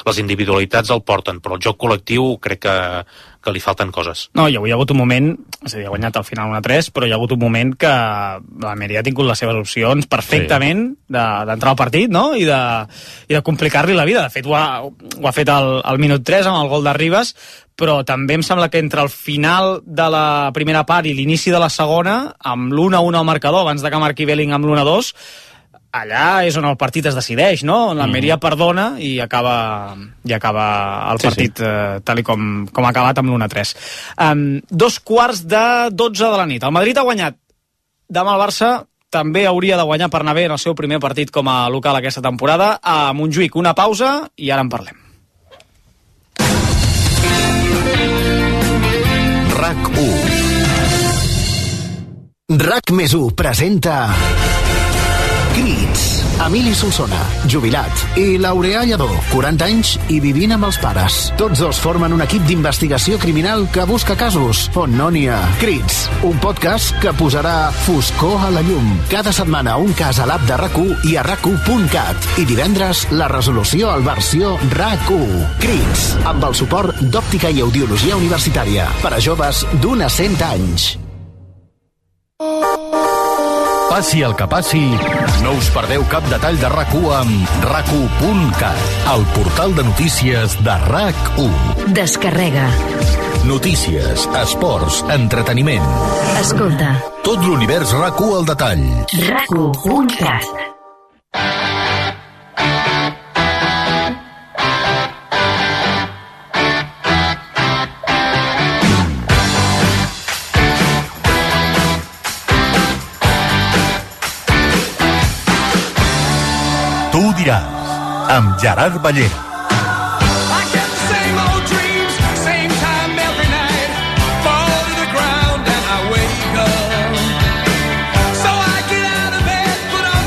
Speaker 14: Les individualitats el porten, però el joc col·lectiu crec que li falten coses.
Speaker 6: No, i avui hi ha hagut un moment, és a dir, ha guanyat al final 1-3, però hi ha hagut un moment que l'Almeria ha tingut les seves opcions perfectament d'entrar al partit, no? I de complicar-li la vida. De fet, ho ha fet al minut 3 amb el gol de Ribas, però també em sembla que entre el final de la primera part i l'inici de la segona, amb l'1-1 al marcador, abans de que marqui Belling amb l'1-2, allà és on el partit es decideix, no? L'Almeria perdona i acaba el partit tal com ha acabat amb l'1-3. 2:15 de la nit. El Madrid ha guanyat. Demà el Barça també hauria de guanyar per anar bé en el seu primer partit com a local aquesta temporada. A Montjuïc, una pausa i ara en parlem.
Speaker 16: RAC1 RAC+1 presenta Crits. Emili Solsona, jubilat, i Laureà Lledó, 40 anys i vivint amb els pares. Tots dos formen un equip d'investigació criminal que busca casos on no n'hi ha. Crits, un podcast que posarà foscor a la llum. Cada setmana un cas a l'app de RAC1 i a RAC1.cat. I divendres la resolució al versió RAC1. Crits, amb el suport d'Òptica i Audiologia Universitària. Per a joves d'1 a 100 anys.
Speaker 3: Passi el que passi, no us perdeu cap detall de RAC1 amb RAC1.cat, el portal de notícies de RAC1.
Speaker 17: Descarrega.
Speaker 3: Notícies, esports, entreteniment.
Speaker 17: Escolta.
Speaker 3: Tot l'univers RAC1 al detall.
Speaker 17: RAC1.cat.
Speaker 3: Tu ho diràs, amb Gerard Ballera.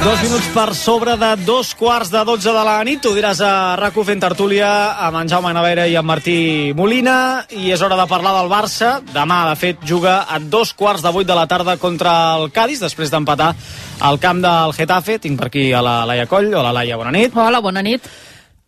Speaker 6: Dos minuts per sobre de 2:15 de la nit. Tu diràs a RAC1 fent tertúlia amb en Jaume Navera i en Martí Molina. I és hora de parlar del Barça. Demà, de fet, juga a 2:15 de la tarda contra el Cádiz, després d'empatar al camp del Getafe. Tinc per aquí a la Laia Coll. Hola, Laia, bona nit.
Speaker 18: Hola, bona nit.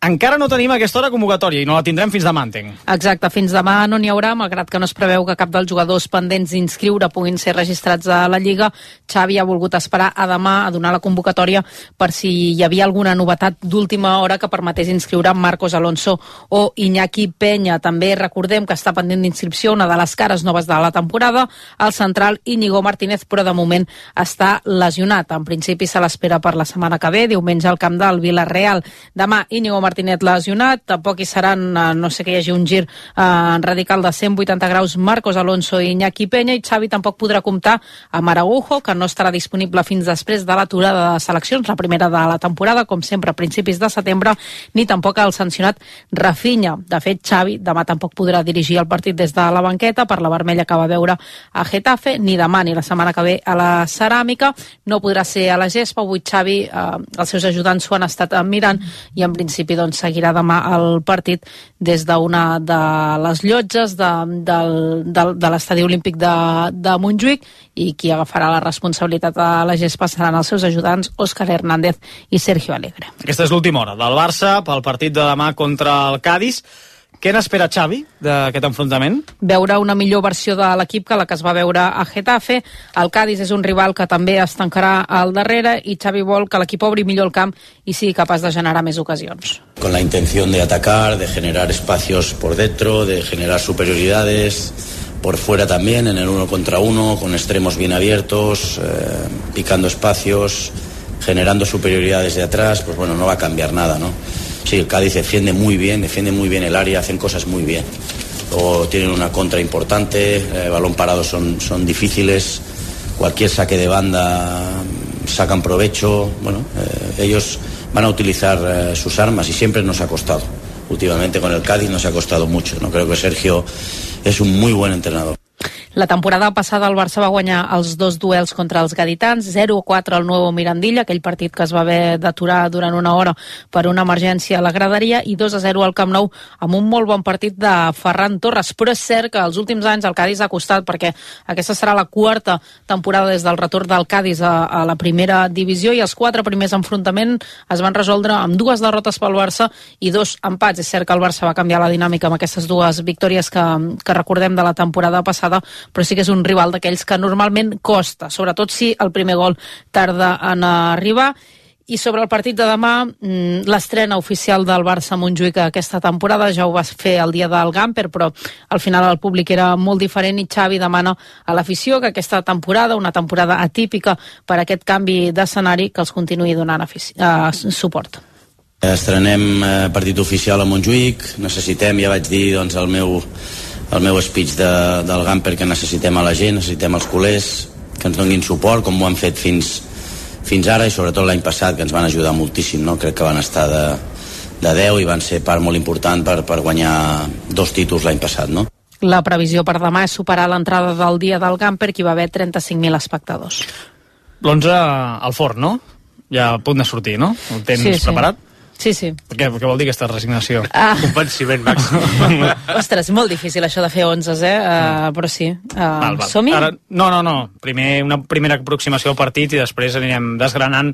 Speaker 6: Encara no tenim aquesta hora convocatòria i no la tindrem fins demà, entenc.
Speaker 18: Exacte, fins demà no n'hi haurà, malgrat que no es preveu que cap dels jugadors pendents d'inscriure puguin ser registrats a la Lliga. Xavi ha volgut esperar a demà a donar la convocatòria per si hi havia alguna novetat d'última hora que permetés inscriure Marcos Alonso o Iñaki Peña. També recordem que està pendent d'inscripció una de les cares noves de la temporada, el central Íñigo Martínez, però de moment està lesionat. En principi se l'espera per la setmana que ve, diumenge al camp del Villarreal. Demà Íñigo Martínez lesionat, tampoc hi seran, no sé que hi hagi un gir radical de 180 graus, Marcos Alonso i Iñaki Peña, i Xavi tampoc podrà comptar amb Araujo, que no estarà disponible fins després de l'aturada de seleccions, la primera de la temporada, com sempre a principis de setembre, ni tampoc el sancionat Rafinha. De fet, Xavi demà tampoc podrà dirigir el partit des de la banqueta per la vermella que va veure a Getafe, ni demà ni la setmana que ve a la Ceràmica. No podrà ser a la gespa. Avui Xavi, els seus ajudants s'ho han estat mirant i en principi City doncs, seguirà demà el partit des d'una de les llotges de l'estadi olímpic de Montjuïc, i qui agafarà la responsabilitat a la gespa seran els seus ajudants Òscar Hernández i Sergio Alegre.
Speaker 6: Aquesta és l'última hora del Barça pel partit de demà contra el Cádiz. Què n'espera Xavi d'aquest enfrontament?
Speaker 18: Veure una millor versió de l'equip que la que es va veure a Getafe. El Cádiz és un rival que també es tancarà al darrere i Xavi vol que l'equip obri millor el camp i sigui capaç de generar més ocasions.
Speaker 19: Con la intención de atacar, de generar espacios por dentro, de generar superioridades por fuera también, en el 1 contra 1, con extremos bien abiertos, picando espacios, generando superioridades de atrás, pues bueno, no va a cambiar nada, ¿no? Sí, el Cádiz defiende muy bien el área, hacen cosas muy bien. Luego tienen una contra importante, balón parado son difíciles, cualquier saque de banda sacan provecho. Bueno, ellos van a utilizar sus armas y siempre nos ha costado. Últimamente con el Cádiz nos ha costado mucho, ¿no? Creo que Sergio es un muy buen entrenador.
Speaker 18: La temporada passada el Barça va guanyar els 2 duels contra els gaditans, 0-4 al Nuevo Mirandilla, aquell partit que es va haver d'aturar durant una hora per una emergència a la graderia, i 2-0 al Camp Nou amb un molt bon partit de Ferran Torres. Però és cert que els últims anys el Cádiz ha costat, perquè aquesta serà la 4ª temporada des del retorn del Cádiz a la primera divisió, i els 4 primers enfrontaments es van resoldre amb 2 derrotes pel Barça i 2 empats. És cert que el Barça va canviar la dinàmica amb aquestes 2 victòries que recordem de la temporada passada, però sí que és un rival d'aquells que normalment costa, sobretot si el primer gol tarda en arribar. I sobre el partit de demà, l'estrena oficial del Barça a Montjuïc aquesta temporada, ja ho va fer el dia del Gamper, però al final el públic era molt diferent i Xavi demana a l'afició que aquesta temporada, una temporada atípica per aquest canvi d'escenari, que els continuï donant suport.
Speaker 19: Estrenem partit oficial a Montjuïc, necessitem, ja vaig dir doncs, el meu speech del Gamper, que necessitem a la gent, necessitem els culers que ens donin suport, com ho han fet fins ara, i sobretot l'any passat, que ens van ajudar moltíssim, no? Crec que van estar de 10 i van ser part molt important per guanyar 2 títols l'any passat, no?
Speaker 18: La previsió per demà és superar l'entrada del dia del Gamper, que hi va haver 35.000 espectadors.
Speaker 6: L'11 al forn, no? Ja a punt de sortir, no? Ho tens preparat?
Speaker 18: Sí, sí.
Speaker 6: Què vol dir aquesta resignació?
Speaker 14: Convenciment màxim.
Speaker 18: Ostres, molt difícil això de fer 11, però sí. Som-hi?
Speaker 6: No. Una primera aproximació al partit i després anirem desgranant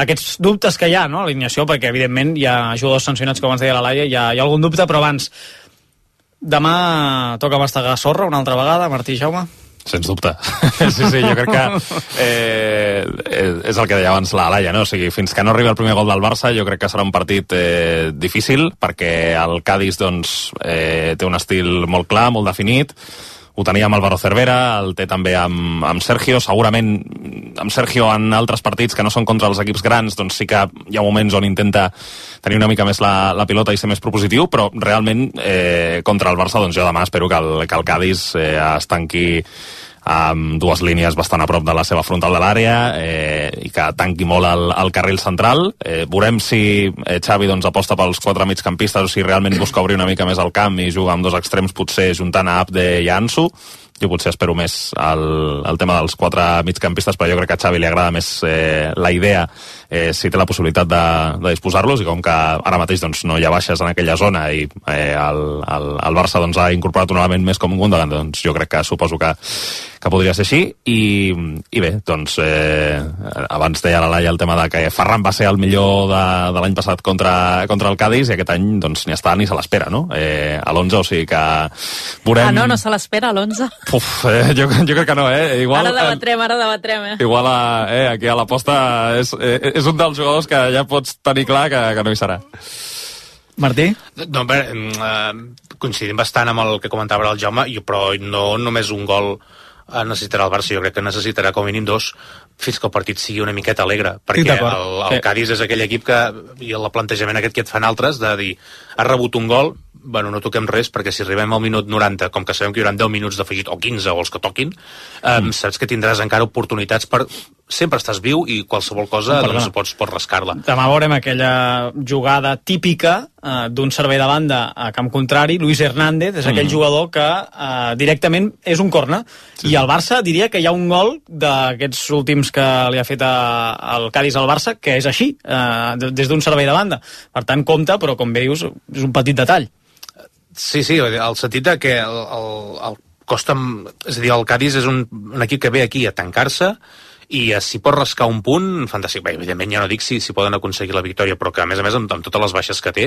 Speaker 6: aquests dubtes que hi ha, no? A l'alineació, perquè evidentment hi ha jugadors sancionats, com ens deia la Laia, hi ha algun dubte, però abans, demà toca mastegar sorra una altra vegada, Martí i Jaume?
Speaker 13: Sens dubte. Sí, jo crec que és el que deia abans la Laia, no? O sigui, fins que no arribi el primer gol del Barça, jo crec que serà un partit difícil, perquè el Cádiz doncs, té un estil molt clar, molt definit. Ho tenia amb Álvaro Cervera, el té també amb Sergio. Segurament amb Sergio en altres partits que no són contra els equips grans, doncs sí que hi ha moments on intenta tenir una mica més la pilota i ser més propositiu, però realment contra el Barça doncs jo demà espero que el Cádiz es tanqui amb 2 línies bastant a prop de la seva frontal de l'àrea i que tanqui molt el carril central. Veurem si Xavi doncs, aposta pels 4 migcampistes o si realment busca obrir una mica més el camp i juga amb 2 extrems, potser juntant a Abde i a Ansu. Jo potser espero més el tema dels 4 migcampistes, però jo crec que a Xavi li agrada més la idea si té la possibilitat de disposar-los, i com que ara mateix doncs, no hi ha baixes en aquella zona i el Barça doncs, ha incorporat un element més com un Gundogan, doncs jo crec que suposo que podria ser així. I bé, doncs abans deia la Laia el tema de que Ferran va ser el millor de l'any passat contra el Cádiz, i aquest any doncs, ni està ni se l'espera, no? A l'11, o sigui que veurem...
Speaker 18: no se l'espera a l'11?
Speaker 13: Jo crec que no, Igual,
Speaker 18: ara debatrem,
Speaker 13: Igual aquí a l'aposta és un dels jugadors que ja pots tenir clar que no hi serà.
Speaker 6: Martí?
Speaker 14: No, coincidim bastant amb el que comentava el Jaume, però no només un gol necessitarà el Barça, jo crec que necessitarà com a mínim 2 fins que el partit sigui una miqueta alegre, perquè el Cádiz és aquell equip que, i el plantejament aquest que et fan altres, de dir, has rebut un gol, no toquem res, perquè si arribem al minut 90, com que sabem que hi haurà 10 minuts d'afegit, o 15, o els que toquin, saps que tindràs encara oportunitats per sempre estàs viu i qualsevol cosa doncs, pots rascar-la.
Speaker 6: Demà veurem aquella jugada típica d'un servei de banda a camp contrari. Luis Hernández és aquell jugador que directament és un corna. I el Barça diria que hi ha un gol d'aquests últims que li ha fet el Cádiz al Barça que és així, des d'un servei de banda. Per tant, compta, però com bé dius, és un petit detall.
Speaker 14: Sí, el sentit de que el costa... És a dir, el Cádiz és un equip que ve aquí a tancar-se i si pot rascar un punt, fantàstic. Bé, evidentment ja no dic si poden aconseguir la victòria, però que a més amb totes les baixes que té,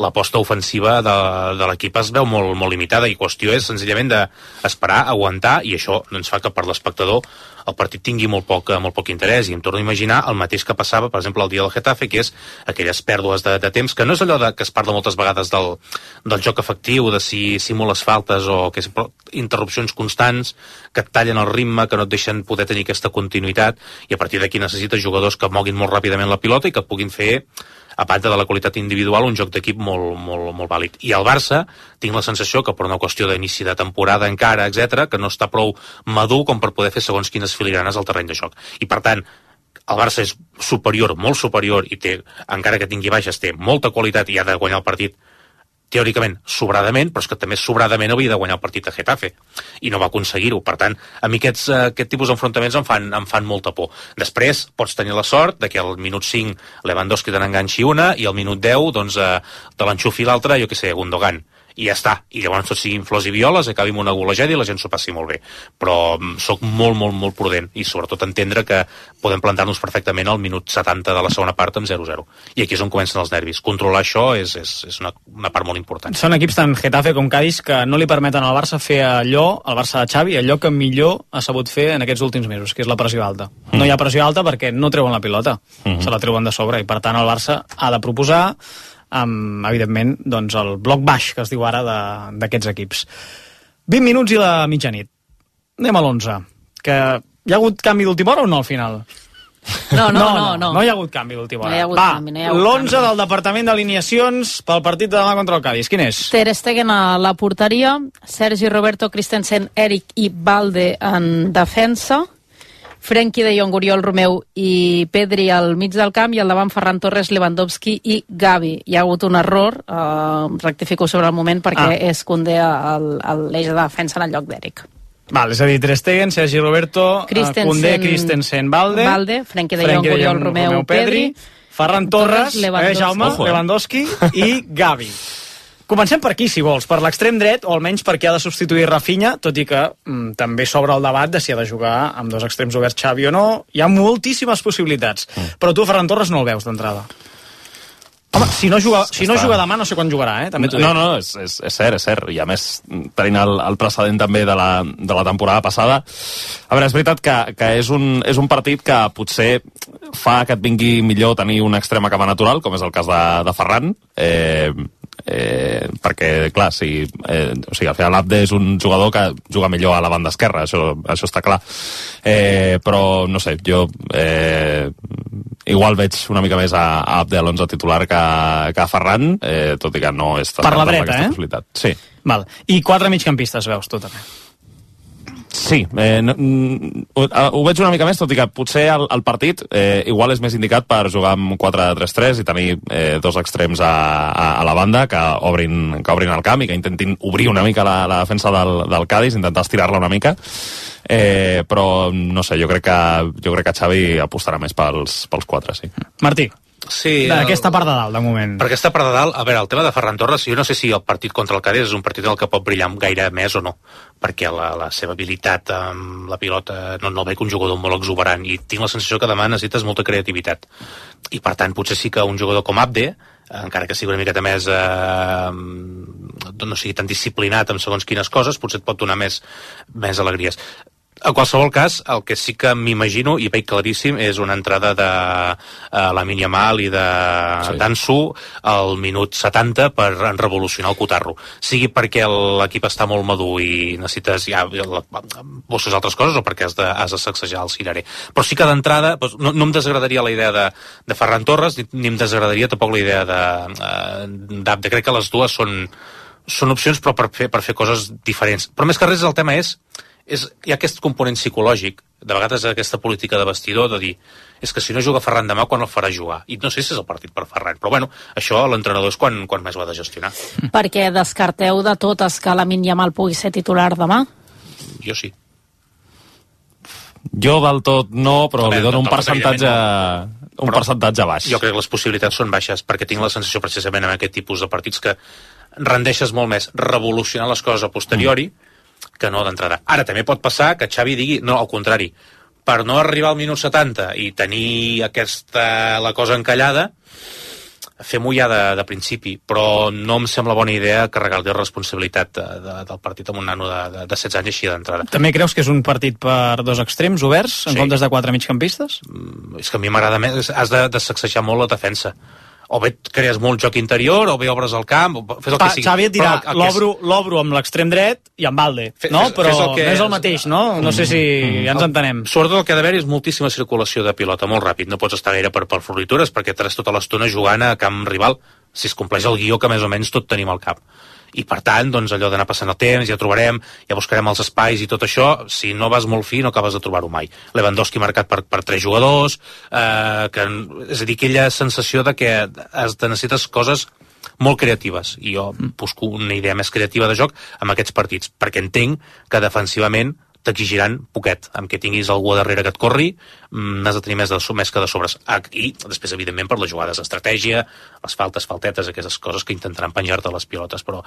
Speaker 14: l'aposta ofensiva de l'equip es veu molt, molt limitada i qüestió és senzillament d'esperar, aguantar, i això ens fa que per l'espectador el partit tingui molt poc interès, i em torno a imaginar el mateix que passava, per exemple, el dia del Getafe, que és aquelles pèrdues de temps, que no és allò que es parla moltes vegades del joc efectiu, de si simules faltes o que interrupcions constants que et tallen el ritme, que no et deixen poder tenir aquesta continuïtat, i a partir d'aquí necessites jugadors que moguin molt ràpidament la pilota i que puguin fer, a part de la qualitat individual, un joc d'equip molt vàlid. I al Barça tinc la sensació que per una qüestió d'inici de temporada encara, etc, que no està prou madur com per poder fer segons quines filigranes al terreny de joc. I per tant, el Barça és superior, molt superior, i té, encara que tingui baixes, té molta qualitat i ha de guanyar el partit teòricament sobradament, però és que també sobradament havia de guanyar el partit a Getafe i no va aconseguir-ho. Per tant, a mi aquest tipus d'enfrontaments em fan molta por. Després pots tenir la sort de que al minut 5 Lewandowski te n'enganxi una i al minut 10 doncs, te l'enxufi l'altra, jo què sé, Gundogan. I ja està. I llavors tot siguin flors i violes, acabi amb una golejada i la gent s'ho passi molt bé. Però sóc molt prudent i sobretot entendre que podem plantar-nos perfectament al minut 70 de la segona part amb 0-0. I aquí és on comencen els nervis. Controlar això és una part molt important.
Speaker 6: Són equips tant Getafe com Cádiz que no li permeten al Barça fer allò, al Barça de Xavi, allò que millor ha sabut fer en aquests últims mesos, que és la pressió alta. No hi ha pressió alta perquè no treuen la pilota, se la treuen de sobre, i per tant el Barça ha de proposar amb, evidentment, doncs el bloc baix que es diu ara d'aquests equips. 20 minuts i la mitjanit. Anem a l'11. Que hi ha hagut canvi d'última hora o no al final?
Speaker 18: No
Speaker 6: hi ha hagut canvi d'última hora. L'11 del Departament d'Alineacions pel partit de demà contra el Cádiz. Quin és?
Speaker 18: Ter Stegen a la porteria, Sergi Roberto, Christensen, Eric i Balde en defensa, Frenkie de Jong, Oriol Romeu i Pedri al mig del camp, i al davant Ferran Torres, Lewandowski i Gavi. Hi ha hagut un error, rectifico sobre el moment, perquè és Koundé a l'eix de defensa en el lloc d'Eric.
Speaker 6: Val, és a dir, Ter Stegen, Sergi Roberto, Koundé, Christensen, Balde,
Speaker 18: Frenkie de Jong, Oriol Romeu, Pedri,
Speaker 6: Ferran Torres, Jaume, Lewandowski i Gavi. Comencem per aquí, si vols, per l'extrem dret, o almenys per qui ha de substituir Rafinha, tot i que també s'obre el debat de si ha de jugar amb dos extrems oberts Xavi o no. Hi ha moltíssimes possibilitats, però tu, Ferran Torres, no el veus d'entrada. Home, si no juga demà, no sé quan jugarà, també t'ho dic.
Speaker 13: No, és cert, i a més tenint el precedent també de la temporada passada. A veure, és veritat que és un partit que potser fa que et vingui millor tenir un extrem a cama natural, com és el cas de Ferran, perquè, clar, o sigui, al final Abde és un jugador que juga millor a la banda esquerra, això està clar, però no sé, jo igual veig una mica més a Abde a l'11 titular que a Ferran, tot i que no és
Speaker 6: per la dreta,
Speaker 13: possibilitat. Sí.
Speaker 6: Val. I 4 migcampistes veus tu també?
Speaker 13: Sí, ho veig una mica més, tot i que potser el partit igual és més indicat per jugar amb 4-3-3 i tenir dos extrems a la banda que obrin el camp i que intentin obrir una mica la defensa del Cádiz, intentar estirar-la una mica, però no sé, jo crec que Xavi apostarà més pels 4, sí.
Speaker 6: Martí.
Speaker 14: Sí,
Speaker 6: d'aquesta part de dalt, de moment.
Speaker 14: Per aquesta part de dalt, a veure, el tema de Ferran Torres, jo no sé si el partit contra el Cádiz és un partit en el que pot brillar gaire més o no, perquè la seva habilitat amb la pilota no veig un jugador molt exuberant, i tinc la sensació que demà necessites molta creativitat. I per tant, potser sí que un jugador com Abde, encara que sigui una miqueta més no sigui tan disciplinat en segons quines coses, potser et pot donar més alegries. En qualsevol cas, el que sí que m'imagino, i veig claríssim, és una entrada de Lamine Yamal i d'Ansu al minut 70 per revolucionar el cotarro. Sigui perquè l'equip està molt madur i necessites busques altres coses, o perquè has de sacsejar el cirerer. Però sí que d'entrada no em desagradaria la idea de Ferran Torres, ni em desagradaria tampoc la idea d'Abde. Crec que les dues són opcions, però per fer coses diferents. Però més que res el tema és hi ha aquest component psicològic, de vegades aquesta política de vestidor, de dir, és que si no juga Ferran demà, quan el farà jugar? I no sé si és el partit per Ferran, però bueno, això l'entrenador és quan més ho ha de gestionar.
Speaker 18: Perquè descarteu de totes que Lamine Yamal pugui ser titular demà?
Speaker 14: Jo sí.
Speaker 13: Jo del tot no, però li dono un percentatge baix.
Speaker 14: Jo crec que les possibilitats són baixes, perquè tinc la sensació precisament en aquest tipus de partits que rendeixes molt més revolucionar les coses a posteriori que no d'entrada. Ara també pot passar que Xavi digui, no, al contrari, per no arribar al minut 70 i tenir la cosa encallada, fem-ho ja de principi, però no em sembla bona idea carregar-li la responsabilitat del partit amb un nano de 16 anys així d'entrada.
Speaker 6: També creus que és un partit per dos extrems oberts, en comptes de 4 migcampistes?
Speaker 14: És que a mi m'agrada més, has de sacsejar molt la defensa. O bé crees molt joc interior, o bé obres el camp, fes el que sigui.
Speaker 6: Xavi et dirà, l'obro amb l'extrem dret i amb Valde, no? Però no és el mateix, no? No sé si ja ens entenem.
Speaker 14: Sobretot el que ha d'haver és moltíssima circulació de pilota, molt ràpid. No pots estar gaire per floritures, perquè estaràs tota l'estona jugant a camp rival, si es compleix el guió que més o menys tot tenim al cap. I per tant, doncs allò d'anar passant el temps, ja trobarem, ja buscarem els espais i tot això, si no vas molt fi no acabes de trobar-ho mai. Lewandowski marcat per 3 jugadors, és a dir, aquella sensació de que necessites coses molt creatives, i jo busco una idea més creativa de joc amb aquests partits, perquè entenc que defensivament t'exigiran poquet, amb que tinguis algú darrere que et corri, n'has de tenir més que de sobres. I després, evidentment, per les jugades d'estratègia, les faltetes, aquestes coses que intentaran penjar-te les pilotes, però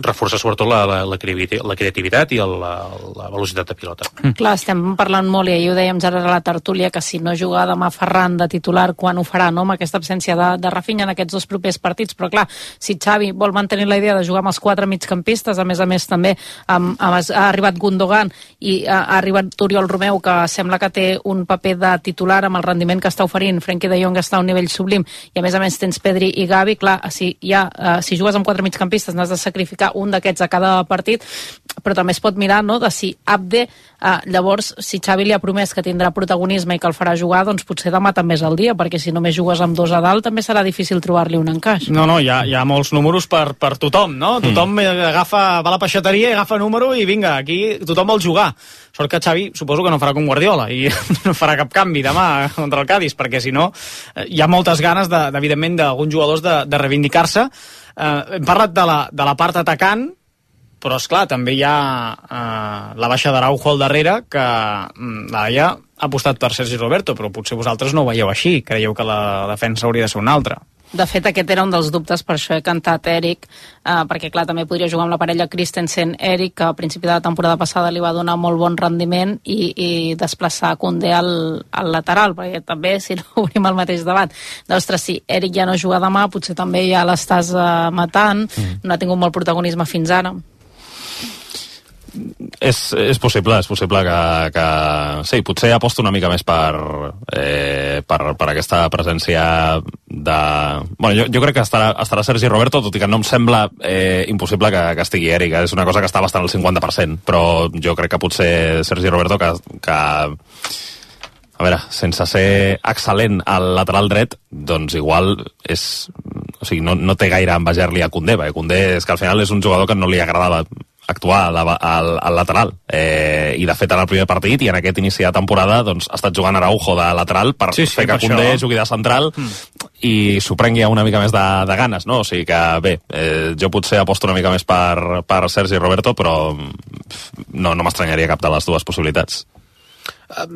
Speaker 14: reforça sobretot la creativitat i la velocitat de pilota.
Speaker 18: Clar, estem parlant molt, i ahir ho dèiem ara a la tertúlia, que si no juga demà Ferran de titular, quan ho farà, no?, amb aquesta absència de Rafinha en aquests 2 propers partits, però clar, si Xavi vol mantenir la idea de jugar amb els 4 migcampistes, a més també ha arribat Gundogan i ha arribat Oriol Romeu, que sembla que té un paper de titular amb el rendiment que està oferint, Frenkie de Jong està a un nivell sublim, i a més tens Pedri i Gavi, clar, si jugues amb 4 migcampistes n'has de sacrificar un d'aquests a cada partit, però també es pot mirar, no?, de si Abde, llavors, si Xavi li ha promès que tindrà protagonisme i que el farà jugar, doncs potser demà també és el dia, perquè si només jugues amb 2 a dalt també serà difícil trobar-li un encaix.
Speaker 6: No, hi ha molts números per tothom, no? Tothom va a la peixateria i agafa número i vinga, aquí tothom vol jugar. Sort que Xavi suposo que no farà com Guardiola i no farà cap canvi demà contra el Cádiz, perquè si no hi ha moltes ganes, evidentment, d'alguns jugadors de reivindicar-se. Hem parlat de la part atacant, però esclar, també hi ha la baixa d'Araujo al darrere, que Laia ha apostat per Sergi Roberto, però potser vosaltres no ho veieu així, creieu que la defensa hauria de ser una altra.
Speaker 18: De fet, aquest era un dels dubtes, per això he cantat Eric, perquè clar, també podria jugar amb la parella Christensen-Eric, que a principi de la temporada passada li va donar molt bon rendiment, i desplaçar Koundé al lateral, perquè també, si no obrim el mateix debat, d'ostres, si Eric ja no juga demà, potser també ja l'estàs matant, no ha tingut molt protagonisme fins ara.
Speaker 13: És possible que sí, potser aposto una mica més per aquesta presència de... Bueno, jo crec que estarà Sergi Roberto, tot i que no em sembla impossible que estigui Eric, és una cosa que està bastant al 50%, però jo crec que potser Sergi Roberto que a veure, sense ser excel·lent al lateral dret, doncs igual és... O sigui, no té gaire a envejar-li a Koundé, perquè Koundé és que al final és un jugador que no li agradava actuar al lateral, i de fet en el primer partit i en aquest inici de temporada doncs ha estat jugant Araujo de lateral per fer que Koundé jugui de central i s'ho prengui una mica més de ganes, no? O sigui que bé, jo potser aposto una mica més per Sergi Roberto, però no m'estranyaria cap de les dues possibilitats.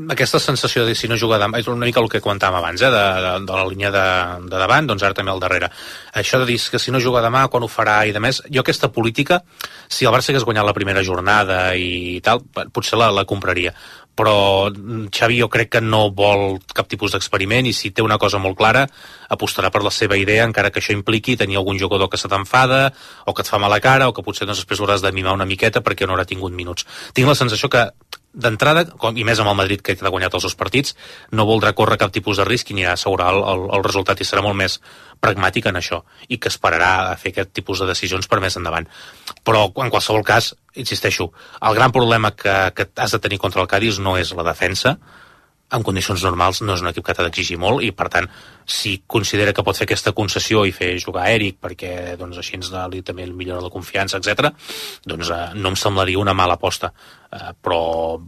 Speaker 14: Aquesta sensació de si no juga demà és una mica el que comentàvem abans, de la línia de davant, doncs ara també al darrere. Això de dir que si no juga demà, quan ho farà i de més, jo aquesta política, si el Barça hagués guanyat la primera jornada i tal, potser la compraria. Però Xavi jo crec que no vol cap tipus d'experiment, i si té una cosa molt clara apostarà per la seva idea, encara que això impliqui tenir algun jugador que se t'enfada o que et fa mala cara, o que potser després l'hauràs de mimar una miqueta perquè no haurà tingut minuts. Tinc la sensació que d'entrada, i més amb el Madrid que ha guanyat els 2 partits, no voldrà córrer cap tipus de risc i anirà a assegurar el resultat, i serà molt més pragmàtic en això, i que esperarà a fer aquest tipus de decisions per més endavant. Però en qualsevol cas, insisteixo, el gran problema que has de tenir contra el Cádiz no és la defensa, en condicions normals no és un equip que t'ha d'exigir molt i per tant si considera que pot fer aquesta concessió i fer jugar Eric perquè doncs, així també millora la confiança, etc. doncs no em semblaria una mala aposta, però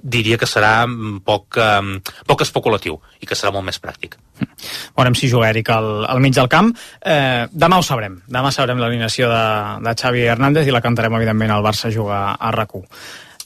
Speaker 14: diria que serà poc especulatiu i que serà molt més pràctic.
Speaker 6: Veurem si juga Eric al mig del camp. Demà ho sabrem. Demà sabrem l'alineació de Xavi Hernández i la cantarem, evidentment, al Barça jugar a RAC1.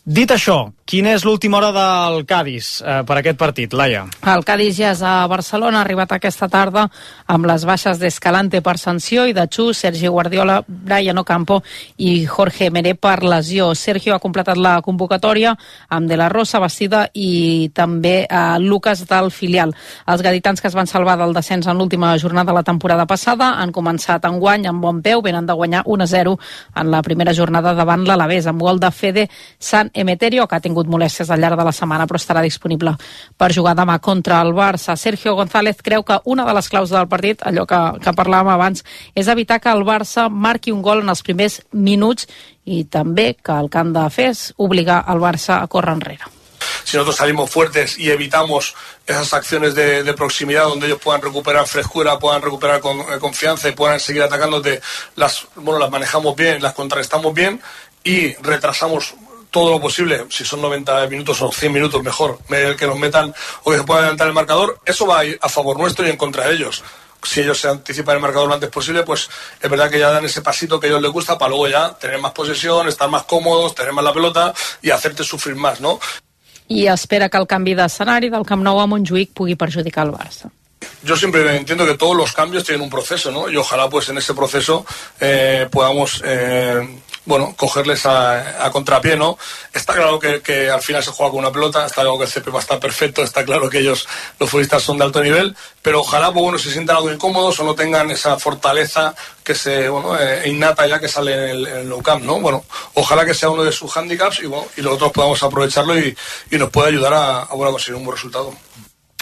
Speaker 6: Dit això, quina és l'última hora del Cádiz per aquest partit, Laia?
Speaker 18: El Cádiz ja és a Barcelona, ha arribat aquesta tarda amb les baixes d'Escalante per sanció i de Chu, Sergi Guardiola, Brian Ocampo i Jorge Meré per lesió. Sergio ha completat la convocatòria amb De La Rosa, Bastida i també Lucas del filial. Els gaditans que es van salvar del descens en l'última jornada de la temporada passada han començat enguany amb bon peu, venen de guanyar 1-0 en la primera jornada davant l'Alavés, amb gol de Fede San Emeterio, que ha tingut molèsties al llarg de la setmana però estarà disponible per jugar demà contra el Barça. Sergio González creu que una de les claus del partit, allò que parlàvem abans, és evitar que el Barça marqui un gol en els primers minuts i també que el que han de fer és obligar el Barça a córrer enrere.
Speaker 20: Si nosotros salimos fuertes y evitamos esas acciones de proximidad donde ellos puedan recuperar frescura, puedan recuperar confianza y puedan seguir atacándote, las manejamos bien, las contrarrestamos bien y retrasamos todo lo posible, si son 90 minutos o 100 minutos mejor, que nos metan o que se pueda adelantar el marcador, eso va a ir a favor nuestro y en contra de ellos. Si ellos se anticipan el marcador lo antes posible, pues es verdad que ya dan ese pasito que a ellos les gusta para luego ya tener más posesión, estar más cómodos, tener más la pelota y hacerte sufrir más, ¿no?
Speaker 18: I espera que el canvi d'escenari del Camp Nou a Montjuïc pugui perjudicar el Barça.
Speaker 20: Yo siempre entiendo que todos los cambios tienen un proceso, ¿no? Y ojalá pues en ese proceso podamos cogerles a contrapié, ¿no? Está claro que al final se juega con una pelota, está claro que el césped va a estar perfecto, está claro que ellos, los futbolistas, son de alto nivel, pero ojalá se sientan algo incómodos o no tengan esa fortaleza que innata ya que sale en el Nou Camp, ¿no? Bueno, ojalá que sea uno de sus hándicaps y los otros podamos aprovecharlo y nos pueda ayudar a conseguir un buen resultado.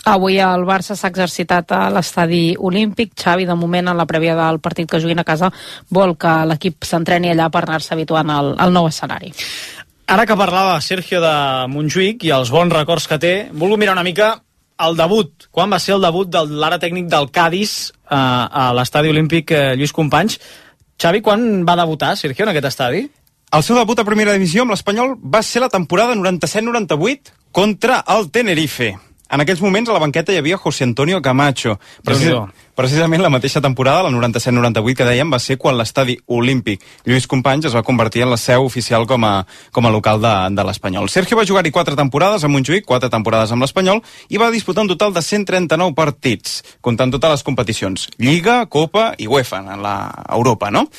Speaker 18: Avui el Barça s'ha exercitat a l'estadi olímpic. Xavi, de moment, en la prèvia del partit que juguin a casa, vol que l'equip s'entreni allà per anar-se habituant al nou escenari.
Speaker 6: Ara que parlava Sergio de Montjuïc i els bons records que té, vulgo mirar una mica el debut. Quan va ser el debut de l'ara tècnic del Cádiz a l'estadi olímpic Lluís Companys? Xavi, quan va debutar Sergio en aquest estadi?
Speaker 7: El seu debut a primera divisió amb l'Espanyol va ser la temporada 97-98 contra el Tenerife. En aquells moments a la banqueta hi havia José Antonio Camacho. Precisament la mateixa temporada, la 97-98 que dèiem, va ser quan l'estadi olímpic Lluís Companys es va convertir en la seu oficial com a local de l'Espanyol. Sergio va jugar-hi 4 temporades a Montjuïc, 4 temporades amb l'Espanyol, i va disputar un total de 139 partits, comptant totes les competicions, Lliga, Copa i UEFA, en Europa, no?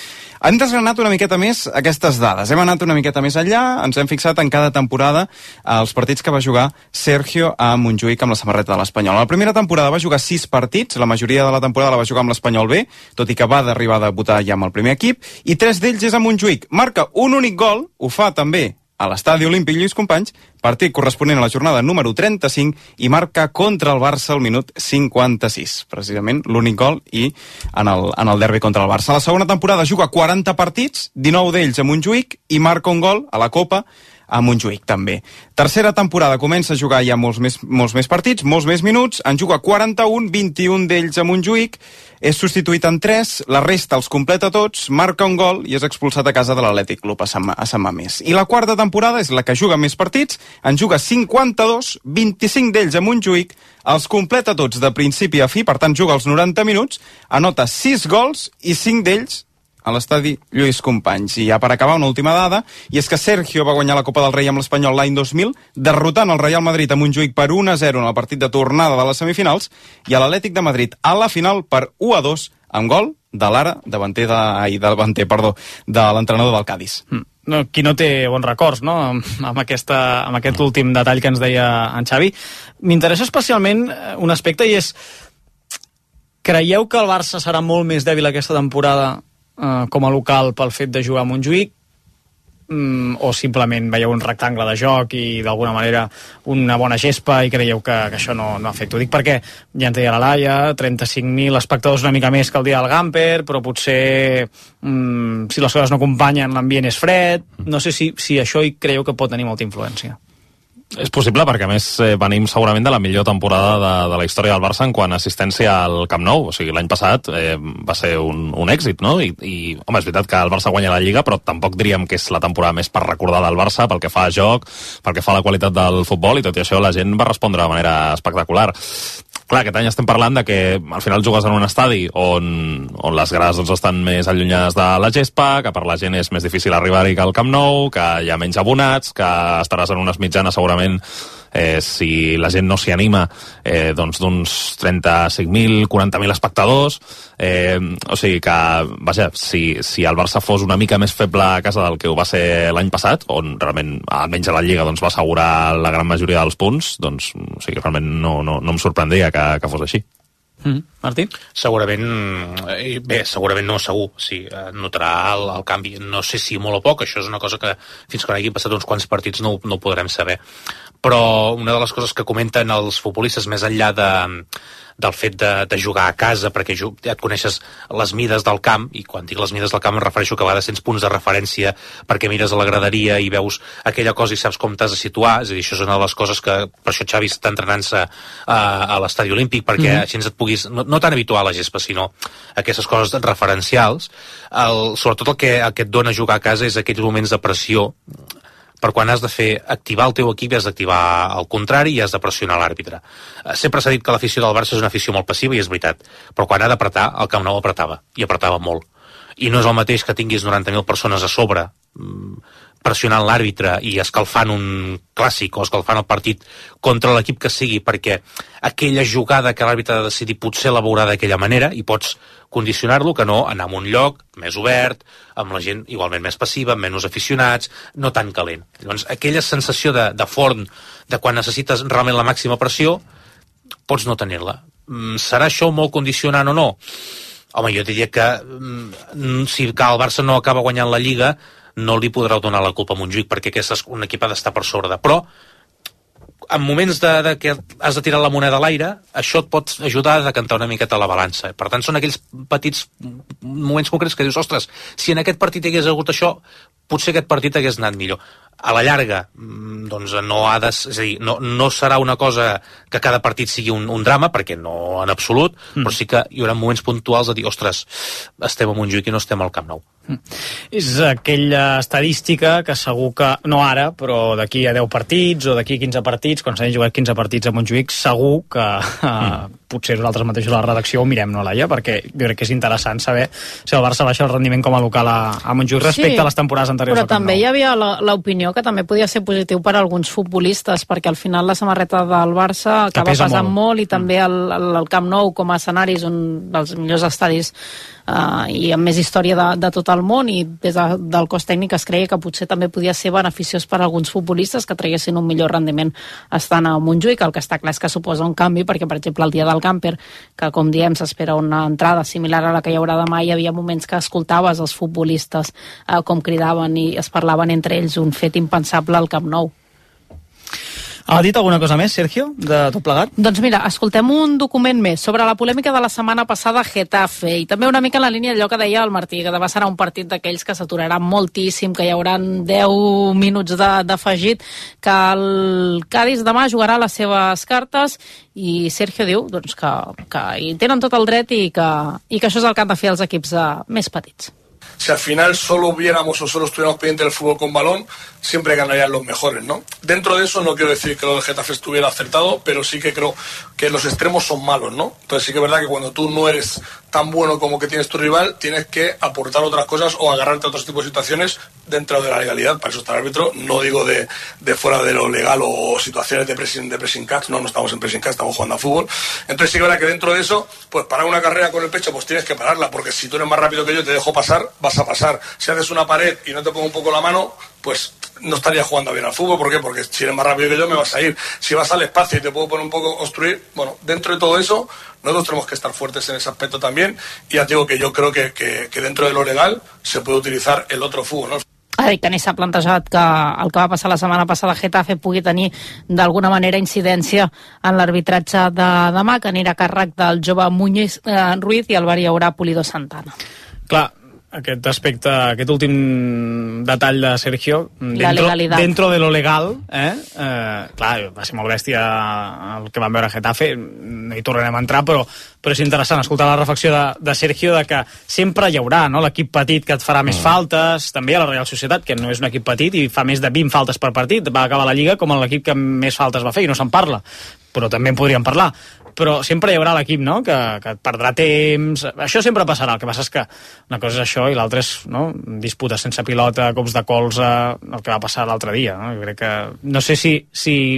Speaker 7: Hem desgranat una miqueta més aquestes dades. Hem anat una miqueta més enllà, ens hem fixat en cada temporada els partits que va jugar Sergio a Montjuïc amb la samarreta de l'Espanyol. A la primera temporada va jugar 6 partits, la majoria de la temporada la va jugar amb l'Espanyol B, tot i que va d'arribar a debutar ja amb el primer equip, i 3 d'ells és a Montjuïc. Marca un únic gol, ho fa també a l'estadi olímpic Lluís Companys, partit corresponent a la jornada número 35, i marca contra el Barça al minut 56. Precisament l'únic gol i en el derbi contra el Barça. A la segona temporada juga 40 partits, 19 d'ells a Montjuïc, i marca un gol a la Copa a Montjuïc també. Tercera temporada comença a jugar ja molts més partits, molts més minuts, en juga 41, 21 d'ells a Montjuïc, és substituït en 3, la resta els completa tots, marca un gol i és expulsat a casa de l'Atlètic Club a Sant Mamés. I la quarta temporada és la que juga més partits, en juga 52, 25 d'ells a Montjuïc, els completa tots de principi a fi, per tant juga els 90 minuts, anota 6 gols i 5 d'ells a l'estadi Lluís Companys. I ja per acabar, una última dada, i és que Sergio va guanyar la Copa del Rei amb l'Espanyol l'any 2000, derrotant el Real Madrid a Montjuïc per 1-0 en el partit de tornada de les semifinals, i a l'Atlètic de Madrid a la final per 1-2, amb gol de l'ara de l'entrenador del Cádiz.
Speaker 6: No, qui no té bons records, no?, amb aquest últim detall que ens deia en Xavi. M'interessa especialment un aspecte, i és: creieu que el Barça serà molt més dèbil aquesta temporada com a local pel fet de jugar a Montjuïc, o simplement veieu un rectangle de joc i d'alguna manera una bona gespa i creieu que això no afecta? Ho dic perquè ja ens deia la Laia, 35.000 espectadors, una mica més que el dia del Gamper, però potser si les coses no acompanyen l'ambient és fred. No sé si això hi creieu que pot tenir molta influència.
Speaker 13: És possible perquè, a més, venim segurament de la millor temporada de la història del Barça en quant a assistència al Camp Nou. O sigui, l'any passat va ser un èxit, no? I, home, és veritat que el Barça guanya la Lliga, però tampoc diríem que és la temporada més per recordar del Barça pel que fa a joc, pel que fa a la qualitat del futbol, i tot i això la gent va respondre de manera espectacular. Clar, aquest any estem parlant de que al final jugues en un estadi on les grades doncs, estan més allunyades de la gespa, que per la gent és més difícil arribar-hi que al Camp Nou, que hi ha menys abonats, que estaràs en unes mitjanes segurament, si la gent no s'hi anima, doncs d'uns 35.000, 40.000 espectadors. O sigui que, vaja, si el Barça fos una mica més feble a casa del que ho va ser l'any passat, on realment, almenys a la Lliga, doncs, va assegurar la gran majoria dels punts, doncs, o sigui, realment no em sorprendria que fos així.
Speaker 6: Martí?
Speaker 14: Segurament, segurament no, segur. Sí, notarà el canvi. No sé si molt o poc, això és una cosa que fins que no hagin passat uns quants partits no ho podrem saber. Però una de les coses que comenten els futbolistes, més enllà del fet de jugar a casa, perquè ja et coneixes les mides del camp, i quan dic les mides del camp em refereixo que a vegades tens punts de referència perquè mires a la graderia i veus aquella cosa i saps com t'has de situar. És a dir, això és una de les coses que per això Xavi està entrenant-se a l'estadi olímpic, perquè així et puguis, no tan habituar a la gespa, sinó aquestes coses referencials. Sobretot el que et dona jugar a casa és aquells moments de pressió, per quan has de activar el teu equip i has d'activar el contrari i has de pressionar l'àrbitre. Sempre s'ha dit que l'afició del Barça és una afició molt passiva, i és veritat, però quan ha d'apretar, el Camp Nou apretava, i apretava molt. I no és el mateix que tinguis 90.000 persones a sobre pressionant l'àrbitre i escalfant un clàssic o escalfant el partit contra l'equip que sigui, perquè aquella jugada que l'àrbitre ha de decidir potser la veurà d'aquella manera i pots condicionar-lo, que no anar a un lloc més obert, amb la gent igualment més passiva, amb menys aficionats, no tan calent. Llavors, aquella sensació de forn, de quan necessites realment la màxima pressió, pots no tenir-la. Serà això molt condicionant o no? Home, jo diria que si el Barça no acaba guanyant la Lliga, no li podrà donar la culpa a Montjuïc, perquè un equip ha d'estar per sobre. Però en moments que has de tirar la moneda a l'aire, això et pot ajudar a decantar una miqueta la balança. Per tant, són aquells petits moments concrets que dius, ostres, si en aquest partit hi hagués hagut això, potser aquest partit hagués anat millor. A la llarga, doncs no ha de... És a dir, no serà una cosa que cada partit sigui un drama, perquè no en absolut, però sí que hi haurà moments puntuals de dir, ostres, estem a Montjuïc i no estem al Camp Nou.
Speaker 6: És aquella estadística que segur que, no ara, però d'aquí a 10 partits o d'aquí a 15 partits, quan s'hagin jugat 15 partits a Montjuïc, segur que potser nosaltres mateixos a la redacció ho mirem, no, Laia? Perquè jo crec que és interessant saber si el Barça baixa el rendiment com a local a Montjuïc respecte a les temporades anteriors.
Speaker 18: Però també hi havia l'opinió que també podia ser positiu per a alguns futbolistes, perquè al final la samarreta del Barça acaba pesant molt i també el Camp Nou com a escenari és un dels millors estadis i amb més història de tot el món, i des del cos tècnic es creia que potser també podia ser beneficiós per a alguns futbolistes que traguessin un millor rendiment estant a Montjuïc. El que està clar és que suposa un canvi, perquè per exemple el dia del camper, que com diem s'espera una entrada similar a la que hi haurà demà, hi havia moments que escoltaves els futbolistes com cridaven i es parlaven entre ells, un fet impensable al Camp Nou.
Speaker 6: Ha dit alguna cosa més, Sergio, de tot plegat?
Speaker 18: Doncs mira, escoltem un document més sobre la polèmica de la setmana passada a Getafe, i també una mica en la línia d'allò que deia el Martí, que demà serà un partit d'aquells que s'aturarà moltíssim, que hi haurà 10 minuts d'afegit, que el Cádiz demà jugarà les seves cartes, i Sergio diu doncs, que hi tenen tot el dret i que això és el que han de fer els equips més petits.
Speaker 20: Si al final solo viéramos o solo estuviéramos pendientes del fútbol con balón, siempre ganarían los mejores, ¿no? Dentro de eso no quiero decir que lo del Getafe estuviera acertado, pero sí que creo que los extremos son malos, ¿no? Entonces sí que es verdad que cuando tú no eres tan bueno como que tienes tu rival, tienes que aportar otras cosas o agarrarte a otros tipos de situaciones dentro de la legalidad. Para eso está el árbitro, no digo de fuera de lo legal o situaciones de pressing catch, no estamos en pressing catch, estamos jugando a fútbol. Entonces sí que es verdad que dentro de eso, pues parar una carrera con el pecho, pues tienes que pararla, porque si tú eres más rápido que yo y te dejo pasar, vas a pasar. Si haces una pared y no te pongo un poco la mano, pues no estaría jugando bien al fútbol. ¿Por qué? Porque si eres más rápido que yo me vas a ir. Si vas al espacio y te puedo poner un poco obstruir, bueno, dentro de todo eso nosotros tenemos que estar fuertes en ese aspecto también, y ya digo que yo creo que dentro de lo legal se puede utilizar el otro fútbol, ¿no?
Speaker 18: Ha dit que ni s'ha plantejat que el que va passar la setmana passada a Getafe pugui tenir d'alguna manera incidència en l'arbitratge de demà, que anirà a càrrec del jove Muñiz Ruiz, i al bar hi haurà Pulido Santana.
Speaker 6: Clar, aquest aspecte, aquest últim detall de Sergio, dentro de lo legal, clar, va ser molt bèstia el que vam veure a Getafe, no hi tornarem a entrar, però és interessant escoltar la reflexió de Sergio de que sempre hi haurà, no?, l'equip petit que et farà més faltes, també a la Real Societat, que no és un equip petit i fa més de 20 faltes per partit, va acabar la Lliga com l'equip que més faltes va fer i no se'n parla, però també en podríem parlar. Però sempre hi haurà l'equip, no?, que et perdrà temps. Això sempre passarà. El que passa és que una cosa és això i l'altra és, no?, disputes sense pilota, cops de colze, el que va passar l'altre dia, no? Jo crec que... No sé si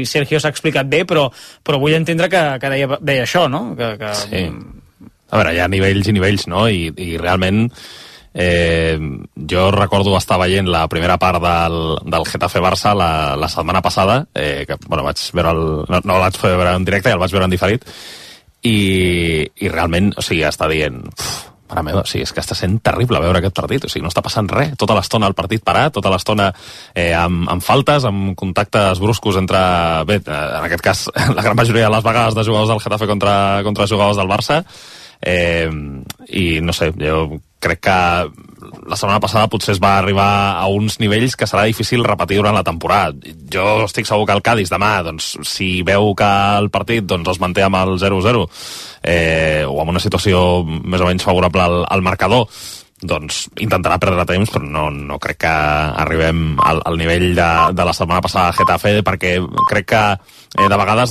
Speaker 6: Sergio s'ha explicat bé, però vull entendre que deia això, no?
Speaker 13: Sí. A veure, hi ha nivells i nivells, no? I realment... jo recordo estar veient la primera part del Getafe-Barça la setmana passada, que bueno, vaig veure no el vaig fer veure en directe, ja el vaig veure en diferit, i realment, o sigui, està dient mare meva, o sigui, és que està sent terrible veure aquest partit, o sigui, no està passant res, tota l'estona el partit parat, tota l'estona amb faltes, amb contactes bruscos entre, bé, en aquest cas la gran majoria de les vegades de jugadors del Getafe contra jugadors del Barça, i no sé, jo crec que la setmana passada potser es va arribar a uns nivells que serà difícil repetir durant la temporada. Jo estic segur que el Cádiz demà, doncs, si veu que el partit doncs, es manté amb el 0-0 o amb una situació més o menys favorable al marcador, doncs intentarà perdre temps, però no crec que arribem al nivell de la setmana passada a Getafe, perquè crec que de vegades